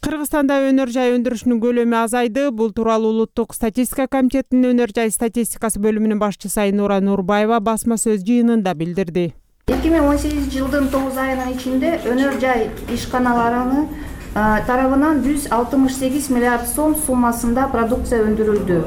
Кыргызстанда өнөр жай өндүрүшүнүн көлөмү азайды. Бул тууралуу Улуттук статистика комитетинин өнөр жай статистикасы бөлүмүнүн башчысы Айнура Нурбаева басма сөз жыйынында билдирди. 2018 жылдын 9 айынын ичинде өнөр жай ишканаларынын тарабынан 168 миллиард сом суммасында продукция өндүрүлдү.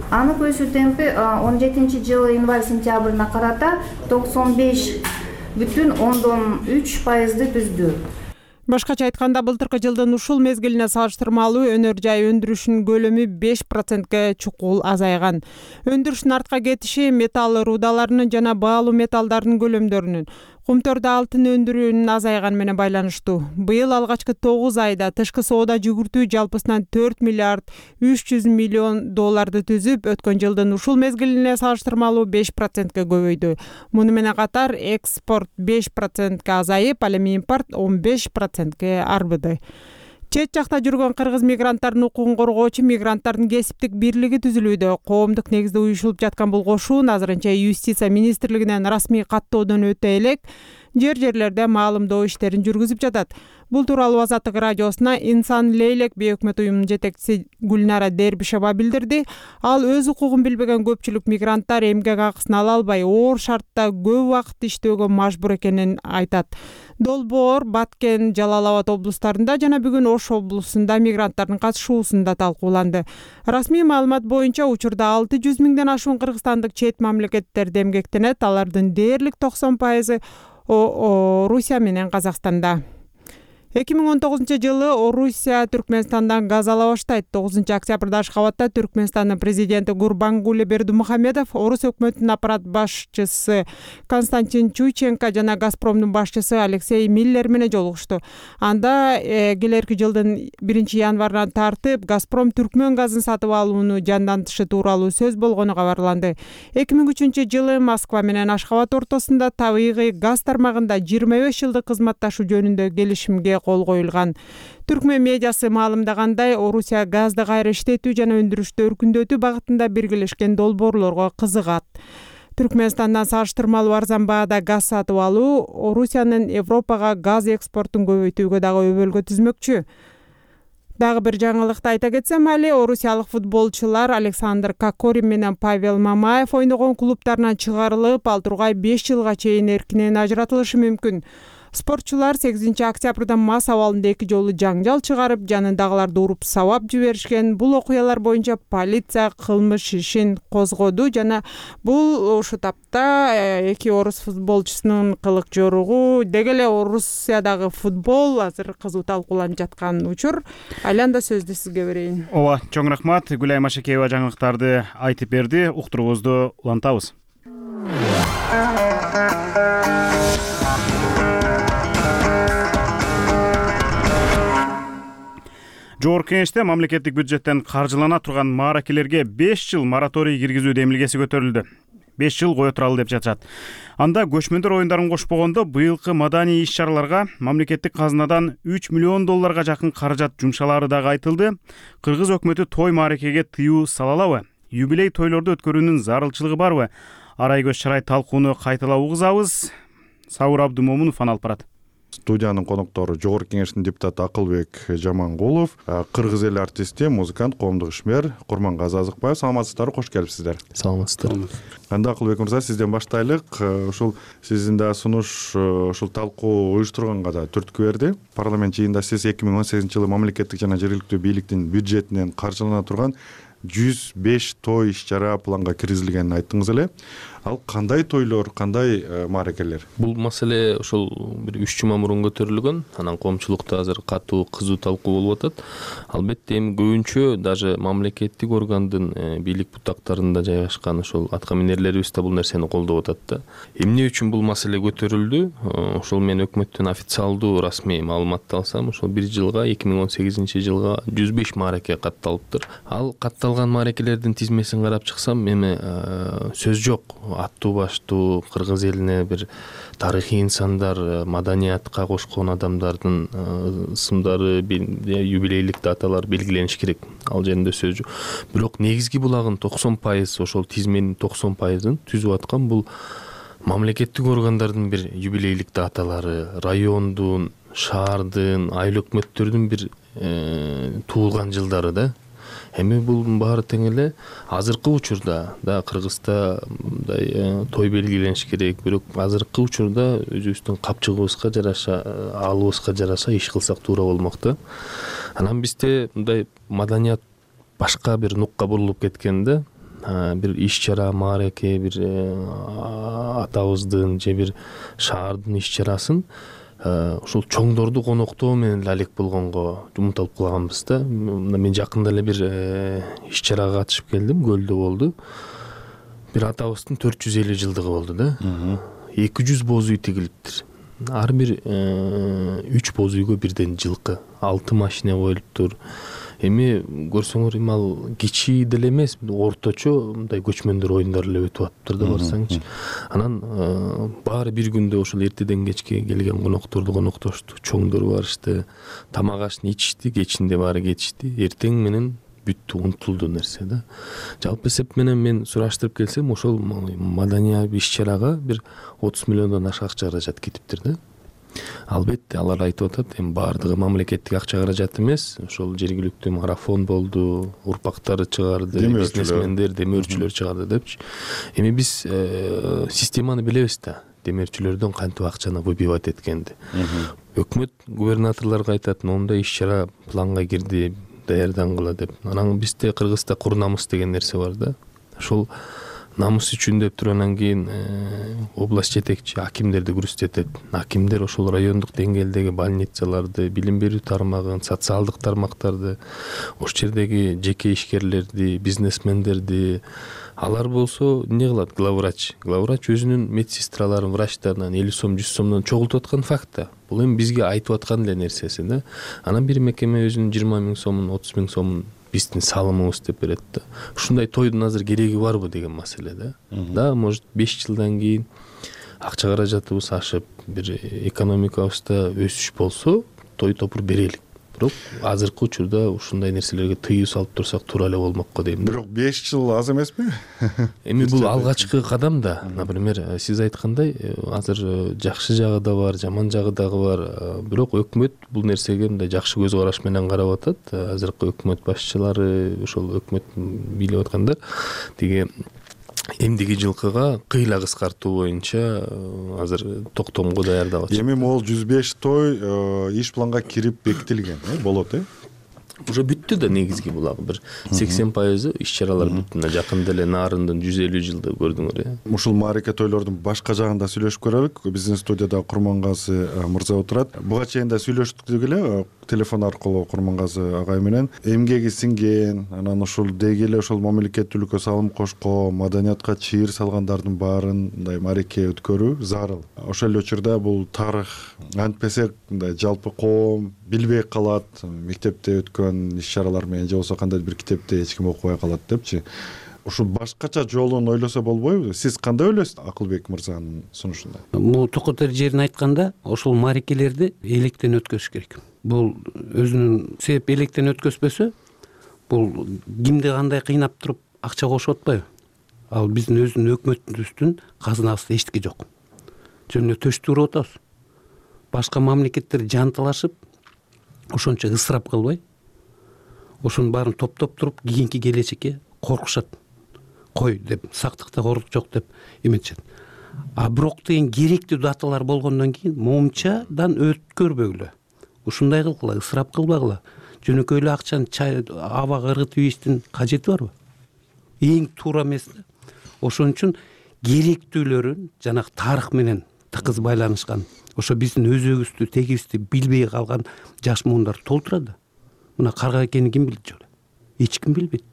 Анын өсүү темпи 17 жылы январь-сентябрына карата 95,3% түздү. Башкача айтканда, былтыркы жылдын ушул мезгилине салыштырмалуу өнөр жай өндүрүшүнүн көлөмү 5%ге чукул азайган. Өндүрүштүн артка кетиши металл рудаларынын жана баалуу металлдардын көлөмдөрүнүн, кумтөрдө алтын өндүрүүнүн азайганы менен байланыштуу. Быйыл алгачкы 9 айда тышкы соода жүгүртүү жалпысынан 4 миллиард 300 миллион долларды түзүп, өткөн жылдын ушул мезгилине салыштырмалуу 5%ге көбөйдү. Муну менен катар экспорт 5%ге азайып, ал эми импорт 15%ге арбыды. Чет жакта жүргөн кыргыз мигранттардын укугун коргоочу мигранттардын кесиптик бирлиги түзүлүүдө. Коомдук негизде уюшулуп жаткан бул кошуун азырынча юстиция министрлигинен расмий каттоодон өтө элек. жерлерде маалымдоо иштерин жүргүзүп жатат. Бул тууралуу Азаттык радиосуна Инсан Лейлек бейөкмөт уюмунун жетекчиси Гүлнара Дербишева билдирди. Ал өз укугун билбеген көпчүлүк мигранттар эмгек акысын ала албай, оор шартта көп убакыт иштөөгө мажбур экенин айтат. Долбоор, Баткен, Жалал Абад облустарында жана бүгүн Ош облусунда мигранттардын катышуусунда талкууланды. Расмий маалымат боюнча учурда 600 миңден ашуун кыргызстандык чет мамлекеттерде эмгектенет. Алардын дээрлик 90% Орусия менен Казакстанда. 2019 Орусия Түркмөнстандан газ ала баштайт. 9 октябрда Ашхабадда Түркмөнстандын президенти Гурбангулы Бердимухамедов, Орус өкмөтүнүн аппарат башчысы Константин Чуйченко жана Газпромдун башчысы Алексей Миллер менен жолугушту. Анда келерки жылдын 1-январынан тартып Газпром Түркмөн газын сатып алууну жандантышы тууралуу сөз болгону кабарланды. 2003 Москва менен Ашхабад ортосунда табигый газ тармагында 25 жылдык кызматташуу жөнүндө келишимге кол коюлган. Түркмөн медиасы маалымдагандай, Орусия газды кайра иштетүү жана өндүрүштү өркүндөтүү багытында биргелешкен долбоорлорго кызыгат. Түркмөнстандан салыштырмалуу арзан баада газ сатып алуу Орусиянын Европага газ экспортун көбөйтүүгө дагы өбөлгө түзмөкчү. Дагы бир жаңылыкты айта кетсем, орусиялык футболчулар Александр Кокорин менен Павел Мамаев ойногон клубтарынан чыгарылып, ал тургай 5 жылга чейин эркинен ажыратылышы мүмкүн. Спортчулар 8 октябрда мас абалында 2 жолу жаңжал чыгарып, жанындагыларды уруп сабап жиберишкен. Бул окуялар боюнча полиция кылмыш ишин козгоду жана бул ушу тапта 2 орус футболчусунун кылык жоругу, деги эле Орусиядагы футбол азыр кызуу талкууланып жаткан учур. Айланда сөздү сизге берейин. Ооба, чоң рахмат. Гүлайым Ашекеева жаңылыктарды айтып берди. Уктуруубузду улантабыз. Жогорку Кеңеште мамлекеттик бюджеттен каржылана турган мааракелерге 5 жыл мораторий киргизүү демилгеси көтөрүлдү. 5 жыл кое туралы деп жатышат. Анда көчмөндөр оюндарын кошпогондо быйылкы маданий иш-чараларга мамлекеттик казынадан 3 миллион долларга жакын каражат жумшалары дагы айтылды. Кыргыз өкмөтү той мааракеге тыюу сала алабы? Юбилей тойлорду өткөрүүнүн зарылчылыгы барбы? Арай көз чарай талкууну кайталап угузабыз. Сауыр Абдымомунов алып барат. Студиянын коноктору Жогорку Кеңештин депутаты Акылбек Жамангулов, кыргыз эл артисти, музыкант, коомдук ишмер Курмангазы Азыкбаев. Саламатсыздарбы, кош келипсиздер. Саламатсыздар. Анда Акылбек мырза, сизден баштайлык. Ушул сиздин да сунуш ушул талкуу уюштурганга да түрткү берди. Парламент жыйынында сиз 2018-жылы мамлекеттик жана жергиликтүү бийликтин бюджетинен каржылана турган 105 той иш-чара планга киргизилгенин айттыңыз эле. Ал кандай тойлор, кандай мааракелер? Бул маселе ошол бир 3 жума мурун көтөрүлгөн. Анан коомчулукта азыр катуу кызуу талкуу болуп атат. Албетте эми көбүнчө даже мамлекеттик органдын бийлик бутактарында жайгашкан ошол аткаминерлерибиз да бул нерсени колдоп атат да. Эмне үчүн бул маселе көтөрүлдү? Ошол мен өкмөттөн официалдуу расмий маалыматты алсам, ошол бир жылга 2018-жылга 105 маараке катталыптыр. Ал катталган мааракелердин тизмесин карап чыксам, эми сөз жок. Аттуу баштуу кыргыз элине бир тарыхый инсандар, маданиятка кошкон адамдардын ысымдары, юбилейлик даталар белгилениш керек. Ал жеринде сөз жок. Бирок негизги булагын 90% ошол тизменин 90%ын түзүп аткан бул мамлекеттик органдардын бир юбилейлик даталары, райондун, шаардын, айыл өкмөттөрдүн бир туулган жылдары да. Эми бул баары тең эле азыркы учурда да Кыргызда мындай той белгилениш керек, бирок азыркы учурда өзүбүздүн капчыгыбызга жараша, алыбызга жараша иш кылсак туура болмок да. Анан бизде мындай маданият башка бир нукка бурулуп кеткен да. Бир иш-чара, маараке, бир атабыздын же бир шаардын иш-чарасын ушул чоңдорду коноктоо менен алек болгонго умтулуп калганбыз да. Мен жакында эле бир иш-чарага катышып келдим, Көлдө болду. Бир атабыздын 450 жылдыгы болду да. 200 боз үй тигилиптир. Ар бир 3 боз үйгө бирден жылкы, 6 машина коюлуптур. Эми көрсөңөр, эми ал кичи деле эмес, орточо мындай көчмөндөр оюндары эле өтүп атыптыр да барсаңчы. Анан баары бир күндө ошол эртеден кечке келген конокторду коноктошту, чоңдор барышты, тамак ашты ичишти, кечинде баары кетишти. Эртең менен бүттү, унутулду нерсе да. Жалпы эсеп менен мен сураштырып келсем, ошол маданий иш чарага бир 30 миллиондон ашык акча каражат кетиптир да. Албетте алар айтып атат, эми баардыгы мамлекеттик акча каражат эмес, ошол жергиликтүү марафон болду, урпактары чыгарды, бизнесмендер, демөөрчүлөр чыгарды депчи. Эми биз системаны билебиз да, демөөрчүлөрдөн кантип акчаны выбивать эткенди. Өкмөт губернаторлорго айтат, моундай иш чара планга кирди, даярдангыла деп. Анан бизде Кыргызда кур намыс деген нерсе бар да. Ошол намыс үчүн деп туруп анан кийин область жетекчи акимдерди күрөзтөтөт. Акимдер ошол райондук деңгээлдеги больницаларды, билим берүү тармагын, социалдык тармактарды, ошол жердеги жеке ишкерлерди, бизнесмендерди, алар болсо эмне кылат? Главврач өзүнүн медсестраларын, врачтарынан 50 сом, 100 сомдон чогултуп аткан факт да. Бул эми бизге айтып аткан эле нерсеси да. Анан бир мекеме өзүнүн 20 миң сомун, 30 миң сомун биздин салымыбыз деп берет да. Ушундай тойдун азыр кереги барбы деген маселе да. Да, может 5 жылдан кийин акча каражатыбыз ашып, бир экономикабызда өсүш болсо, той топур берелик. Бирок азыркы учурда ушундай нерселерге тыюу салып турсак туура эле болмокко дейм. Бирок 5 жыл аз эмеспи? Эми бул алгачкы кадам да. Например, сиз айткандай, азыр жакшы жагы да бар, жаман жагы дагы бар. Бирок өкмөт бул нерсеге мындай жакшы көз караш менен карап атат. Азыркы өкмөт башчылары, ошол өкмөт бийлеп аткандар тиги эмдиги жылкыга кыйла кыскартуу боюнча азыр токтомго даярдап атышат. Эми могул 105 той иш планга кирип бекитилген, болот Уже бүттү да негизги булагы бир 80% иш чаралар бүттү. Жакында эле Нарындын 150 жылды көрдүңөр. Ушул мааракет тойлордун башка жагында сүйлөшүп көрөлүк. Биздин студияда Курмангазы мырза отурат. Буга чейин да сүйлөштүк эле телефон аркылуу Курмангазы агай менен. Эмгеги сиңген, анан ушул деги эле ошол мамлекеттүүлүккө салым кошкон, маданиятка чыйыр салгандардын баарын мындай маареке өткөрүү зарыл. Ошол эле учурда бул тарых антпесе мындай жалпы коом билбей калат, мектепте өткөн иш чаралар менен же болбосо кандайдыр бир китепте эч ким окубай калат депчи. Ушул башкача жолун ойлосо болбойбу? Сиз кандай ойлойсуз Акылбек мырзанын сунушунда? Бул токотер жерин айтканда, ошол маарекелерди электен өткөзүш керек. Бул өзүнүн себеп электен өткөзбөсө, бул кимди кандай кыйнап туруп акча кошуп атпайбы? Ал биздин өзүнүн өкмөтүбүздүн казынасында эчтеке жок. Жөн эле төштү уруп атабыз. Башка мамлекеттер жанталашып, ошончо ысырап кылбай, ошонун баарын топтоп туруп кийинки келечекке коркушат. Кой деп, сактыкта кордук жок деп эметишет. А бирок деген керектүү даталар болгондон кийин момчадан өткөрбөгүлө. Ушундай кылгыла, ысырап кылбагыла. Жөнөкөй эле акчаны абага ыргытып ийиштин кажети барбы? Эң туура эмес да. Ошон үчүн керектүүлөрүн жанагы тарых менен тыкыз байланышкан, ошо биздин өзөгүбүздү, тегибизди билбей калган жаш муундар толтурат. Мына карга экенин ким билет жолу? Эч ким билбейт.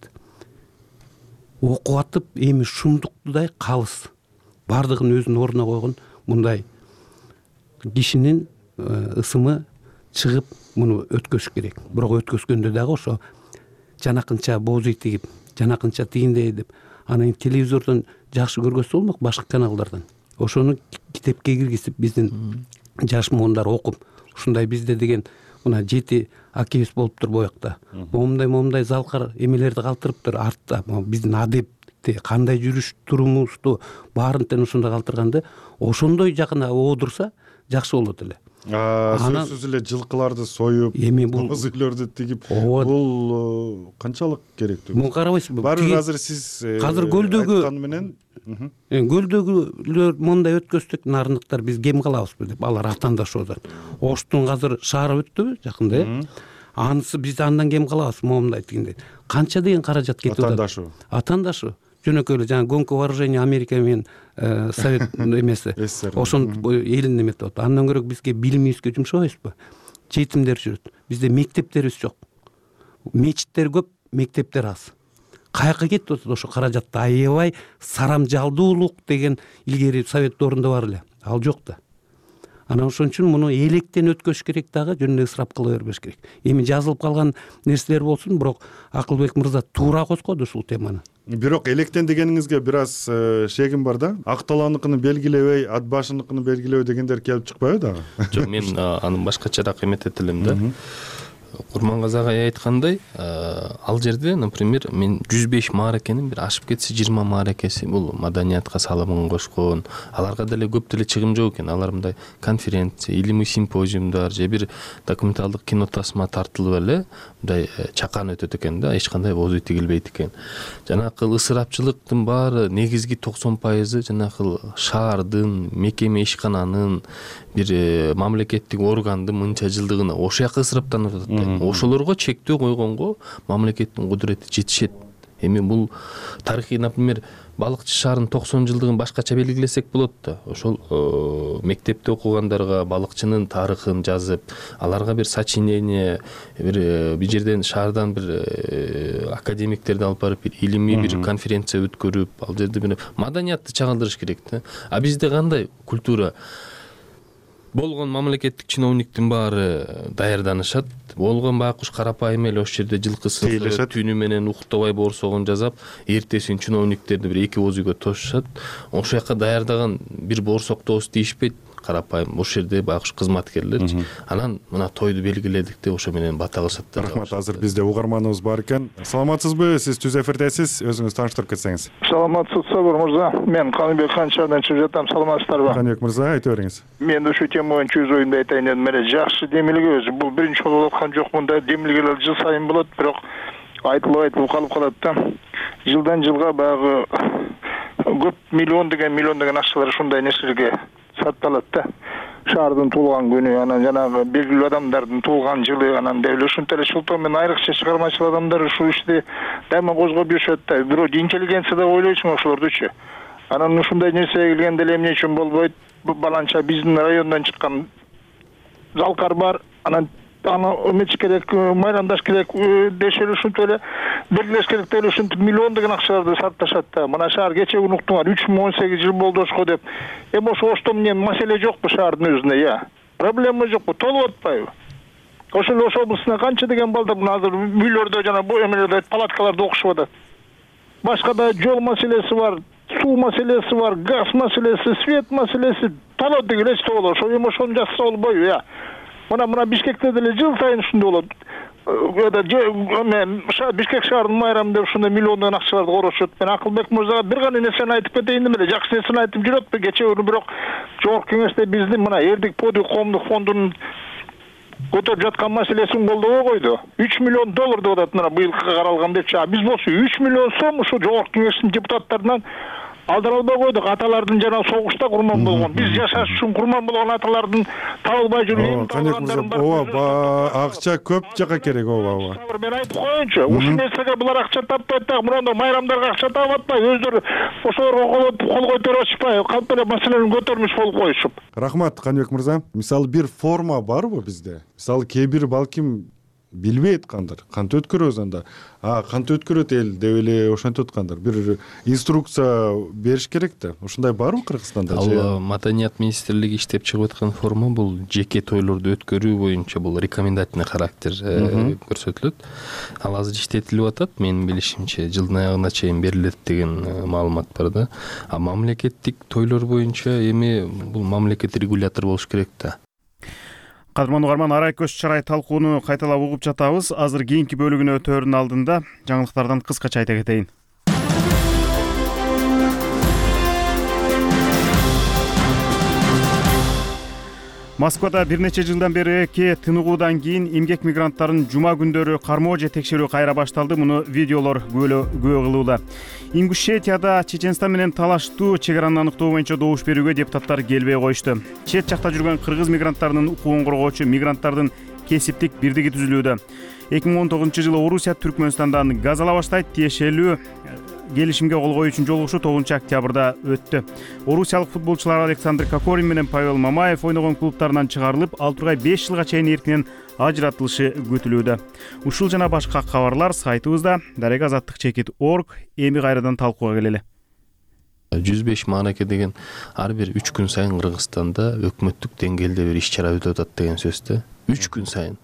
Окуп атып, эми шумдуктудай калыс. Бардыгын өзүнүн ордуна койгон мындай кишинин ысымы чыгып, муну өткөзүш керек. Бирок өткөзгөндө дагы ошо жанакынча боозүй тигип, жанакынча тигиндей деп, анан телевизордон жакшы көргөзсө болмок, башка каналдардан. Ошону китепке киргизип биздин жаш муундар окуп, ушундай бизде деген мына 7 акибиз болуптур боякта. Момундай залкар эмелерди калтырыптыр артта. Биздин адепти кандай жүрүш турумубузду баарын тең ошондой калтырганды, ошондой жакына оодурса жакшы болот эле. Сөзсүз эле жылкыларды союп, боз үйлөрдү тигип, бул канчалык керектүү? Муну карабайсызбы? Баары азыр сиз азыр көлдөгү менен көлдөгүлөр мондай өткөздүк, нарындыктар биз кем калабызбы деп алар атандашып атат. Оштун азыр шаары өттүбү жакында? Анысы биз андан кем калабыз момундай тигиндей. Канча деген каражат кетип атат? Атандашуу. Жөнөкөй эле жана гонка вооружения Америка менен Совет эмеси. Ошон элин эметип атат. Андан көрө бизге билимибизге жумшабайбызбы? Жетимдер жүрөт. Бизде мектептерибиз жок. Мечиттер көп, мектептер аз. Каяка кетип атат ошо каражатты аябай сарамжалдуулук деген илгери Совет доорунда бар эле. Ал жок да. Анан ошон үчүн муну электен өткөзүш керек дагы, жөн эле ысырап кыла бербеш керек. Эми жазылып калган нерселер болсун, бирок Акылбек мырза туура козгоду ушул теманы. Бирок электен дегениңизге бир аз шегим бар да. Акталаныкын белгилебей, ат башыныкын белгилебей дегендер келип чыкпайбы дагы? Жок, мен аны башкачараак эметет элем да. Курмангазы агай айткандай, ал жерде, например, мен 105 мааракенин бир ашып кетсе 20 мааракеси бул маданиятка салымын кошкон. Аларга деле көп деле чыгым жок экен. Алар мындай конференция, илимий симпозиумдар же бир документалдык кино тасма тартылып эле мындай чакан өтөт экен да, эч кандай бозу тигилбейт экен. Жанакы ысырапчылыктын баары негизги 90% жанакы шаардын, мекеме ишкананын, бир мамлекеттик органдын мынча жылдыгына ошол жака ысыраптанып атат. Ошолорго чектөө койгонго мамлекеттин кудурети жетишет. Эми бул тарыхый, например, балыкчы шаарынын 90 жылдыгын башкача белгилесек болот да. Ошол мектепте окугандарга балыкчынын тарыхын жазып, аларга бир сочинение, бир жерден шаардан бир академиктерди алып барып, бир илимий бир конференция өткөрүп, ал жерде бир маданиятты чагылдырыш керек да. А бизде кандай культура? Болгон мамлекеттик чиновниктин баары даярданышат. Болгон байкуш карапайым эле ошол жерде жылкысы түнү менен уктабай борсогон жасап, эртесин чиновниктерди бир эки ооз үйгө тошушат. Ошол жака даярдаган бир борсоктоос дейишпейт. Карапайым ошол жерде байкуш кызматкерлерчи. Анан мына тойду белгиледик деп ошо менен бата кылышат. Рахмат. Азыр бизде угарманыбыз бар экен. Саламатсызбы? Сиз түз эфирдесиз. Өзүңүз тааныштырып кетсеңиз. Саламатсызбы мырза? Мен Каныбек Канчардан чыгып жатам. Саламатсыздарбы? Каныбек мырза, айтып бериңиз. Мен ушул тема боюнча өз оюмду айтайын дедим. Эле жакшы демилге өзү. Бул биринчи жолу болуп аткан жок. Мындай демилгелер жыл сайын болот, бирок айтылып калып калат да. Жылдан жылга баягы көп миллион деген акчалар ушундай нерселерге сатталат да. Шаардын туулган күнү, анан жанагы белгилүү адамдардын туулган жылы, анан деле ушунтай эле Шултон менен айрыкча чыгармачыл адамдар ушул ишти дайыма козгоп жүрүшөт да. Бирок интеллигенция деп ойлойсуң ошолордучу. Анан ушундай нерсеге келгенде эле эмне үчүн болбойт? Баланча биздин райондон чыккан залкар бар, анан эмечи керек, майрамдаш керек дешеле ушинтип эле белгилеш керек деп ушинтип миллиондогон акчаларды сарпташат да. Мына шаар кече күнү уктуңар 3018 жыл болду ошко деп. Эми ошо оштон эмне маселе жокпу шаардын өзүнө, проблема жокпу, толуп атпайбы? Ошол эле Ош облусуна канча деген балдар мына азыр үйлөрдө жана бу эмелерде палаткаларда окушуп атат. Башка да жол маселеси бар, суу маселеси бар, газ маселеси, свет маселеси, толот деген эч болот. Ошо эми ошону жазса болбойбу, Мына Бишкекте деле жыл сайын ушундай болот. Бишкек шаарынын майрамы деп ушундай миллиондогон акчаларды корошот. Мен Акылбек мырзага бир гана нерсени айтып кетейин деп эле, жакшы нерсени айтып жүрөт. Кече күнү бирок жогорку кеңеште биздин мына Эрдик Подый коомдук фондунун көтөрүп жаткан маселесин колдобой койду. 3 миллион доллар деп атат мына быйылкы каралган депчи. Биз болсо 3 миллион сом ушу жогорку кеңештин депутаттарынан алдыра албай койдук. Аталардын жана согушта курман болгон, биз жашаш үчүн курман болгон аталардын табылбай жүрүп акча көп жака керек. Мен айтып коеюнчу, ушул нерсеге булар акча таппайт да, мурда майрамдарга акча таап атпай, өздөрү ошолорго кол көтөрүп атышпай, кантип эле маселени көтөрмүш болуп коюшуп. Рахмат, Каныбек мырза. Мисалы бир форма барбы бизде? Мисалы кээ бир балким билбейт кантип өткөрөбүз анда. Кантип өткөрөт эл деп эле ошентип аткандар. Бир инструкция бериш керек да. Ушундай барбы Кыргызстанда? Ал Маданият министрлиги иштеп чыгып аткан форма бул жеке тойлорду өткөрүү боюнча бул рекомендательный характер көрсөтүлөт. Ал азыр иштетилип атат. Менин билишимче жылдын аягына чейин берилет деген маалымат бар да. А мамлекеттик тойлор боюнча эми бул мамлекет регулятор болуш керек да. Кадырман угарман, арай көз чарай талкууну кайталап угуп жатабыз. Азыр кийинки бөлүгүнө өтөөрдүн алдында жаңылыктардан кыскача айта кетейин. Москвада бир нече жылдан бери тыныгуудан кийин эмгек мигранттарын жума күндөрү кармоо же текшерүү кайра башталды. Муну видеолор күбө кылууда. Ингушетияда Чеченстан менен талаштуу чегараны аныктоо боюнча добуш берүүгө депутаттар келбей коюшту. Чет жакта жүргөн кыргыз мигранттарынын укугун коргоочу мигранттардын кесиптик бирдиги түзүлүүдө. 2019-жылы Орусия Түркмөнстандан газ ала баштайт, тиешелүү келишимге кол коюу үчүн жолугушуу 9-октябрда өттү. Орусиялык футболчулар Александр Кокорин менен Павел Мамаев ойногон клубтарынан чыгарылып, 6 тургай 5 жылга чейин эркинен ажыратылышы күтүлүүдө. Ушул жана башка кабарлар сайтыбызда daregaazаттык.org. Эми кайрадан талкууга келели. 105 маараке деген ар бир 3 күн сайын Кыргызстанда өкмөттүк деңгээлде бир иш чара өтүп атат деген сөз да. 3 күн сайын.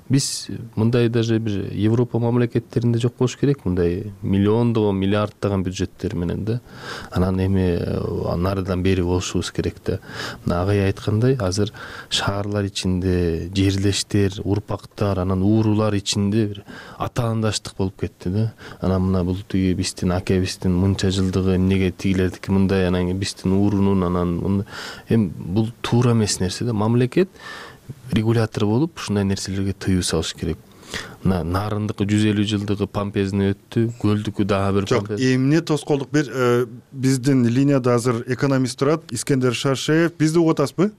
биз мындай даже бир Европа мамлекеттеринде жок болуш керек, мындай миллиондогон, миллиарддаган бюджеттер менен да. Анан эми нарыдан бери болушубуз керек да. Мына агай айткандай, азыр шаарлар ичинде жерлештер, урпактар, анан уурулар ичинде бир атаандаштык болуп кетти да. Анан мына бул тиги биздин акебиздин мынча жылдыгы, эмнеге тигилердики мындай, анан биздин уурунун, анан эми бул туура эмес нерсе да. Мамлекет регулятор болуп ушундай нерселерге тыюу салыш керек. Мына нарындыкы 150 жылдыгы помпезный өттү, көлдүкү дагы бир жок. Эмне тоскоолдук бир биздин линияда азыр экономист турат, Искендер Шаршеев. Бизди угуп атасызбы?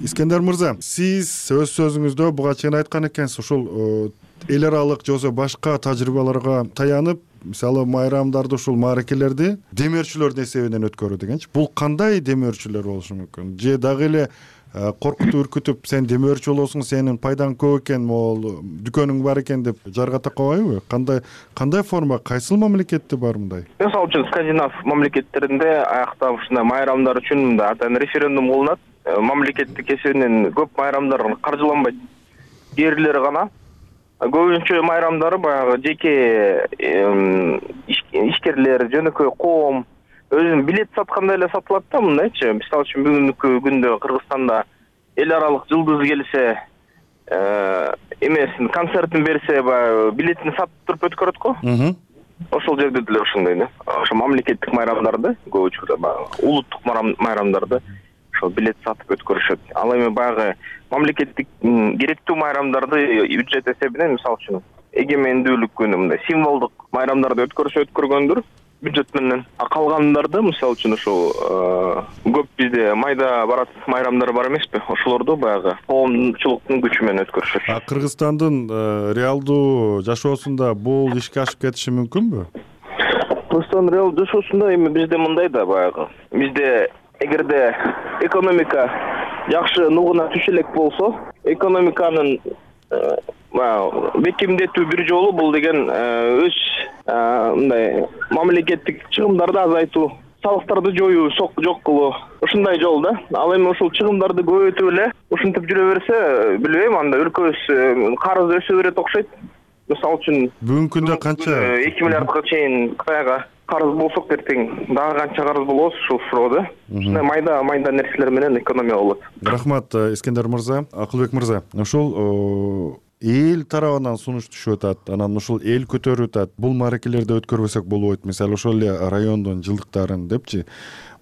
Искендер мырза, сиз өз сөзүңүздө буга чейин айткан экенсиз, ушул эл аралык же болбосо башка тажрыйбаларга таянып, мисалы майрамдарды, ушул мааракелерди демөөрчүлөрдүн эсебинен өткөрүү дегенчи. Бул кандай демөөрчүлөр болушу мүмкүн? Же дагы эле коркутуп үркүтүп, сен демөөрчү болосуң, сенин пайдаң көп экен, могул дүкөнүң бар экен деп жаргата койбойбу? Кандай форма, кайсыл мамлекетте бар мындай? Мисалы үчүн скандинав мамлекеттеринде аякта ушундай майрамдар үчүн мындай атайын референдум кылынат. Мамлекеттик эсебинен көп майрамдар каржыланбайт. Кээ гана. Көбүнчө майрамдары баягы жеке ишкерлер, жөнөкөй коом өзүн билет саткандай эле сатылат да, мындайчы. Мисалы үчүн бүгүнкү күндө Кыргызстанда эл аралык жылдыз келсе, эмесин концертин берсе, баягы билетин сатып туруп өткөрөт го. Ошол жерде деле ушундай да. Ошо мамлекеттик майрамдарды, көп учурда баягы улуттук майрамдарды ошол билет сатып өткөрүшөт. Ал эми баягы мамлекеттик керектүү майрамдарды бюджет эсебинен, мисалы үчүн эгемендүүлүк күнү мындай символдук майрамдарды өткөргөндүр бюджет менен. Калгандарды, мисалы үчүн ошол көп бизде майда барат майрамдар бар эмеспи? Ошолорду баягы коомчулуктун күчү менен өткөрүшөт. Кыргызстандын реалдуу жашоосунда бул ишке ашып кетиши мүмкүнбү? Кыргызстандын реалдуу жашоосунда эми бизде мындай да баягы. Бизде эгерде экономика жакшы нугуна түшө элек болсо, экономиканын бекемдетүү бир жолу бул деген өз мындай мамлекеттик чыгымдарды азайтуу, салыктарды жоюу, жок кылуу, ушундай жол да. Ал эми ушул чыгымдарды көбөйтүп эле ушинтип жүрө берсе, билбейм, анда өлкөбүз карыз өсө берет окшойт. Мисалы үчүн бүгүнкү күндө канча 2 миллиардга чейин Кытайга карыз болсок, эртең дагы канча карыз болобуз ушул суроода. Ушундай майда нерселер менен экономия болот. Рахмат, Искендер мырза. Акылбек мырза, ушул эл тарабынан сунуш түшүп атат, анан ушул эл көтөрүп атат. Бул мааракелерди өткөрбөсөк болбойт. Мисалы ошол эле райондун жылдыктарын депчи.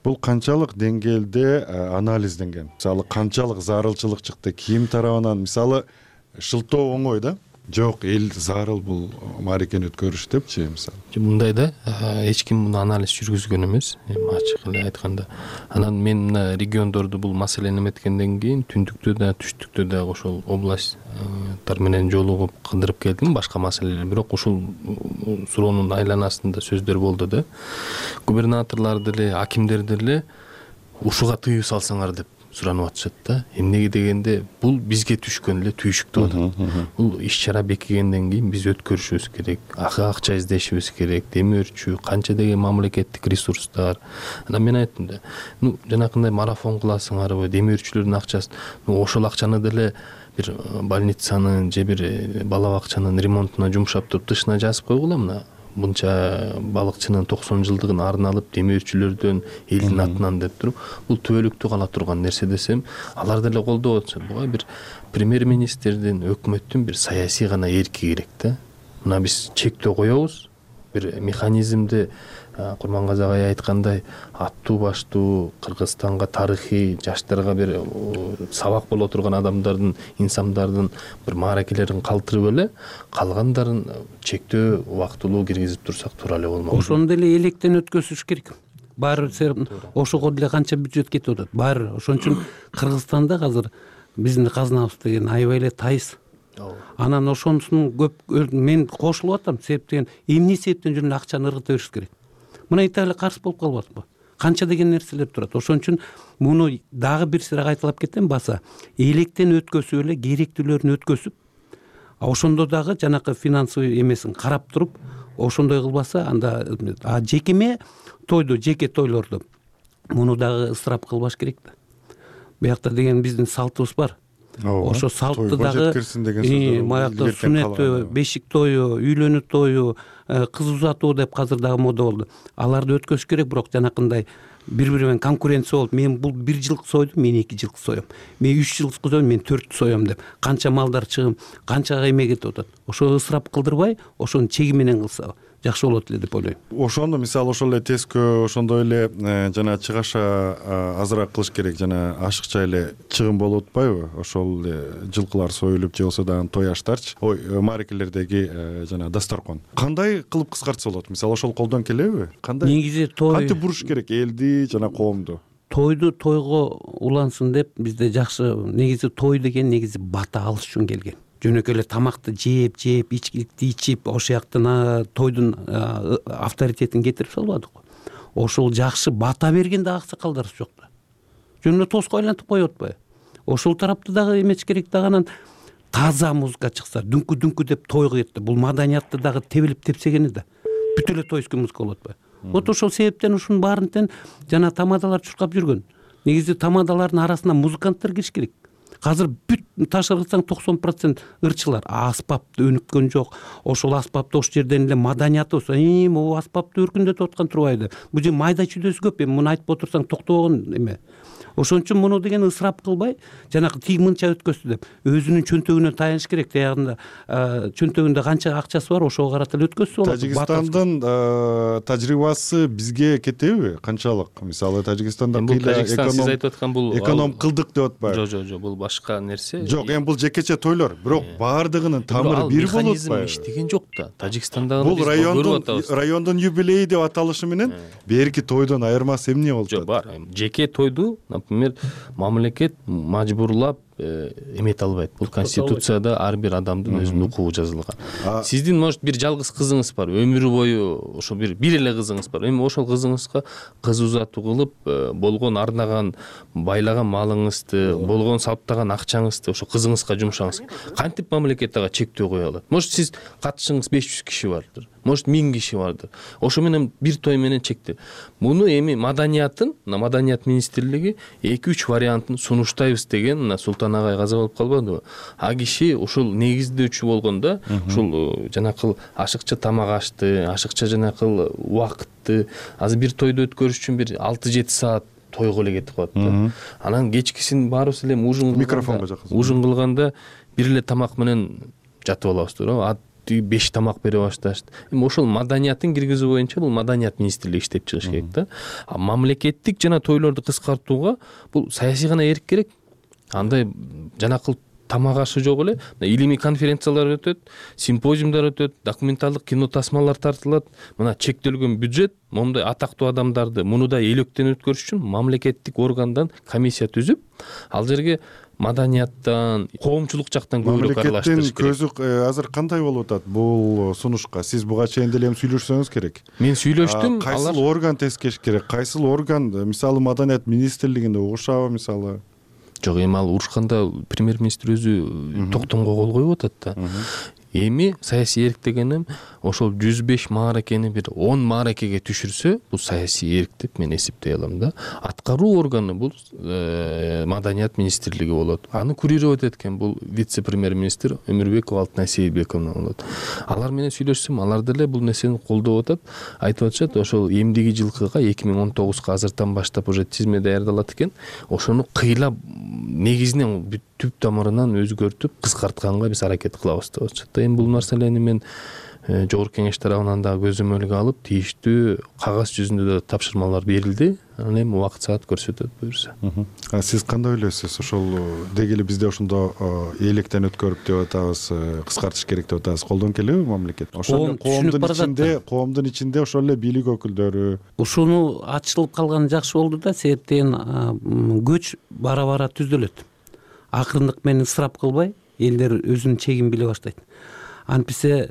Бул канчалык деңгээлде анализденген? Мисалы канчалык зарылчылык чыкты? Ким тарабынан? Мисалы шылтоо оңой да? Жок, эл зарыл бул мааракени өткөрүш депчи, мисалы. Мындай да, эч ким муну анализ жүргүзгөн эмес, ачык эле айтканда. Анан мен мына региондорду бул маселени эметкенден кийин түндүктө да, түштүктө да ошол областтар менен жолугуп кыдырып келдим, башка маселелер. Бирок ушул суроонун айланасында сөздөр болду да. Губернаторлор деле, акимдер деле ушуга тыюу салсаңар деп суранып атышат да. Эмнеге дегенде, бул бизге түшкөн эле түйшүк деп атат. Бул иш-чара бекигенден кийин биз өткөрүшүбүз керек, акча издешибиз керек, демөөрчү, канча деген мамлекеттик ресурстар. Анан мен айттым да, жанакындай марафон кыласыңарбы, демөөрчүлөрдүн акчасы, ошол акчаны деле бир больницанын же бир бала бакчанын ремонтуна жумшап туруп тышына жазып койгула, мына мынча балыкчынын 90 жылдыгын арналып демөөрчүлөрдөн элдин атынан деп туруп, бул түбөлүктүү кала турган нерсе десем, алар деле колдоп атышат. Буга бир премьер-министрдин, өкмөттүн бир саясий гана эрки керек да. Мына биз чектөө коебуз, бир механизмди Курмангазы агай айткандай, аттуу баштуу Кыргызстанга тарыхый, жаштарга бир сабак боло турган адамдардын, инсандардын бир мааракелерин калтырып эле, калгандарын чектөө убактылуу киргизип турсак туура эле болмок. Ошону деле электен өткөзүш керек. Баары ошого деле канча бюджет кетип атат. Баары ошон үчүн Кыргызстанда азыр биздин казнабыз деген аябай эле тайыз. Анан ошонусун көп мен кошулуп атам, себеп деген эмне себептен жүрүп акчаны ыргыта бериш керек. Мына Италия каршы болуп калып атпы? Канча деген нерселер турат. Ошон үчүн муну дагы бир сыйра кайталап кетем, баса электен өткөзүп эле керектүүлөрүн өткөзүп, ошондо дагы жанакы финансовый эмесин карап туруп, ошондой кылбаса, анда жекеме тойду, жеке тойлорду муну дагы ысырап кылбаш керек да. Буякта деген биздин салтыбыз бар. ошо салтты дагы деген баягы сүннөттү, бешик тою, үйлөнүү тою, кыз узатуу деп азыр дагы мода болду. Аларды өткөзүш керек, бирок жанакындай бири-бири менен конкуренция болуп, мен бул 1 жылкы сойдум, мен 2 жылкы соём. Мен 3 жылкы соём, мен 4 соём деп канча малдар чыгым, канча эме кетип атат. Ошо ысырап кылдырбай, ошону чеги менен кылса жакшы болот эле деп ойлойм. Ошондо мисалы ошол эле тескөө, ошондой эле жана чыгаша азыраак кылыш керек, жана ашыкча эле чыгым болуп атпайбы? Ошол жылкылар союлуп же болбосо дагы той аштарчы, маарекелердеги жана дасторкон кандай кылып кыскартса болот? Мисалы ошол колдон келеби? Кандай негизи той кантип буруш керек элди жана коомду? Тойду тойго улансын деп бизде жакшы, негизи той деген негизи бата алыш үчүн келген. Жөнөкөй эле тамакты жеп, ичкиликти ичип, ошол жактан тойдун авторитетин кетирип салбадык. Ошол жакшы бата берген да аксакалдарыбыз жок да. Жөн эле тоско айлантып коюп атпайбы? Ошол тарапты дагы эмеш керек да, анан таза музыка чыкса, дүңкү деп тойго кетти. Бул маданиятты дагы тебилип тепсегени да. Бүт эле тойский музыка болуп атпайбы? Вот ошол себептен ушунун баарынтен жана тамадалар чуркап жүргөн. Негизи тамадалардын арасына музыканттар кириш керек. Азыр бүт ташырсаң 90% ырчылар, аспапты өнүккөн жок. Ошол аспапты ош жерден эле маданиятыбыз, могу аспапты өркүндөтүп аткан турбайбы? Бул же майда чүйдөсү көп, муну айтып отурсаң токтобогон эме. Ошон үчүн муну деген ысырап кылбай, жанагы тиги мынча өткөздү деп өзүнүн чөнтөгүнө таяныш керек. Таягында чөнтөгүндө канча акчасы бар, ошого карата эле өткөзсө болот. Тажикстандын тажрыйбасы бизге кетеби? Канчалык? Мисалы Тажикстанда сиз айтып аткан бул эконом кылдык деп атпайбы? Жок, бул башка нерсе. Жок, эми бул жекече тойлор, бирок баардыгынын тамыры бир болуп атпайбы? Иштеген жок да. Тажикстандагы бул райондун юбилейи деп аталышы менен берки тойдон айырмасы эмне болуп атат? Жок, бар. Жеке тойду, например, мамлекет мажбурлап эмете албайт. Бул конституцияда ар бир адамдын өзүнүн укугу жазылган. Сиздин может бир жалгыз кызыңыз бар, өмүрү бою ошо бир эле кызыңыз бар. Эми ошол кызыңызга кыз узатуу кылып, болгон ардаган, байлаган малыңызды, болгон саптаган акчаңызды ошо кызыңызга жумшаңыз. Кантип мамлекет ага чектөө кое алат? Может сиз катышыңыз 500 киши бардыр, может 1000 киши бардыр. Ошо менен бир той менен чектеп. Муну эми маданият министрлиги 2-3 вариантын сунуштайбыз деген Султан агай каза болуп калбадыбы? А киши ушул негиздөөчү болгондо, ушул жанакыл ашыкча тамак ашты, ашыкча жанакыл убакытты, азыр бир тойду өткөрүш үчүн бир 6-7 саат тойго эле кетип калат да. Анан кечкисин баарыбыз эле ужин кылганда бир эле тамак менен жатып алабыз да. 5 тамак бере башташты. Эми ошол маданиятын киргизүү боюнча бул маданият министрлиги иштеп чыгыш керек да. А мамлекеттик жана тойлорду кыскартууга бул саясий гана эрк керек. Андай жанакыл тамак ашы жок эле, илимий конференциялар өтөт, симпозиумдар өтөт, документалдык кино тасмалар тартылат. Мына чектелген бюджет, момундай атактуу адамдарды муну да электен өткөрүш үчүн мамлекеттик органдан комиссия түзүп, ал жерге маданияттан, коомчулук жактан көбүрөөк аралаштырыш керек. Мамлекеттин көзү азыр кандай болуп атат бул сунушка? Сиз буга чейин деле сүйлөшсөңүз керек. Мен сүйлөштүм. Кайсыл орган тескеш керек? Кайсыл орган, мисалы маданият министрлигинде угушабы мисалы? Жок, эми ал урушканда премьер-министр өзү токтомго кол коюп атат да. Эми саясий эрк дегеним ошол 105 мааракени бир 10 мааракеге түшүрсө, бул саясий эрк деп мен эсептей алам да. Аткаруу органы бул маданият министрлиги болот. Аны курировать эткен бул вице-премьер-министр Өмүрбекова Алтынай Сейилбековна болот. Алар менен сүйлөшсөм, алар деле бул нерсени колдоп атат. Айтып атышат, ошол эмдиги жылкыга 2019 азыртан баштап уже тизме даярдалат экен. Ошону кыйлап негизинен түп тамырынан өзгөртүп кыскартканга биз аракет кылабыз деп атышат. Эми бул нерселерни мен жогорку кеңеш тарабынан да көзөмөлгө алып, тийиштүү кагаз жүзүндө да тапшырмалар берилди. Анан эми убакыт саат көрсөтөт буюрса. Сиз кандай ойлойсуз? Ошол деги эле бизде ошондо электен өткөрүп деп атабыз, кыскартыш керек деп атабыз. Колдон келеби мамлекет? Ошол коомдун ичинде ошол эле бийлик өкүлдөрү ушуну ачылып калганы жакшы болду да, себептен көч бара-бара түзүлөт. Акырындык менен ысырап кылбай, элдер өзүнүн чегин биле баштайт. Антпесе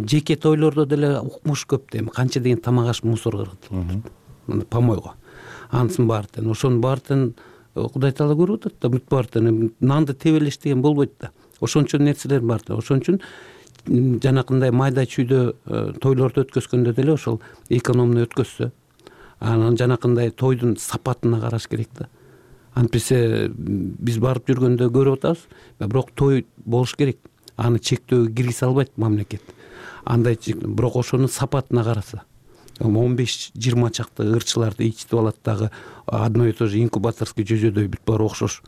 жеке тойлордо деле укмуш көп да, эми канча деген тамак аш мусор кыргытылат. Помойго. Ансын баардын, ошонун баардын Кудай таала көрүп атат да, бүт баардын нанды тебелеш деген болбойт да. Ошончо нерселер бар да. Ошон үчүн жанакындай майда чүйдө тойлорду өткөзгөндө деле ошол экономно өткөзсө, анан жанакындай тойдун сапатына караш керек да. антпесе биз барып жүргөндө көрүп атабыз, бирок той болуш керек, аны чектөөгө киргизе албайт мамлекет. Андай бирок ошонун сапатына караса 15-20 чакты ырчыларды ичтип алат дагы, одно и то же инкубаторский жөзөдөй бүт баары окшош.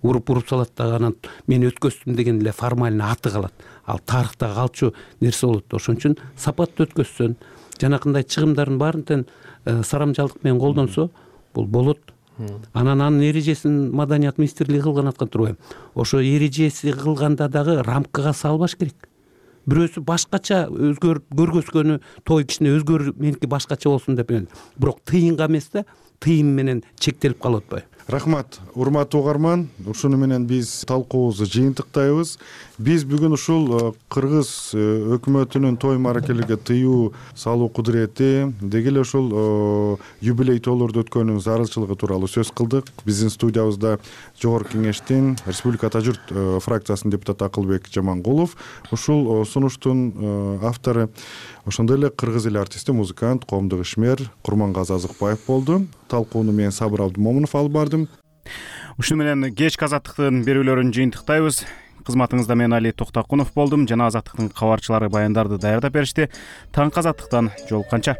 Уруп салат дагы, анан мен өткөздүм деген эле формально аты калат. Ал тарыхта калчу нерсе болот. Ошон үчүн сапаттуу өткөзсөн, жанакындай чыгымдардын баарын тең сарамжалдык менен колдонсо, бул болот. Анан анын эрежесин Маданият министрлиги кылган аткан турбайбы? Ошо эрежеси кылганда дагы рамкага салбаш керек. Бирөөсү башкача көргөзгөнү, той кичине өзгөрүп, меники башкача болсун деп, бирок тыйынга эмес да, тыйым менен чектелип калып атпайбы? Рахмат, урматтуу угарман. Ушуну менен биз талкуубузду жыйынтыктайбыз. Биз бүгүн ушул кыргыз өкмөтүнүн той мааракелерге тыюу салуу кудурети, деги эле ушул юбилей тойлорду өткөрүүнүн зарылчылыгы тууралуу сөз кылдык. Биздин студиябызда Жогорку Кеңештин Республика Ата журт фракциясынын депутаты Акылбек Жамангулов, ушул сунуштун автору ошондой эле кыргыз эли артисти, музыкант, коомдук ишмер Курмангазы Азыкбаев болду. Талкууну мен Сабыр Абдымомунов алып бардым. Ушуну менен кечки Азаттыктын берүүлөрүн жыйынтыктайбыз. Кызматыңызда мен Али Токтакунов болдум. Жана Азаттыктын кабарчылары баяндарды даярдап беришти. Таңкы Азаттыктан жолукканча.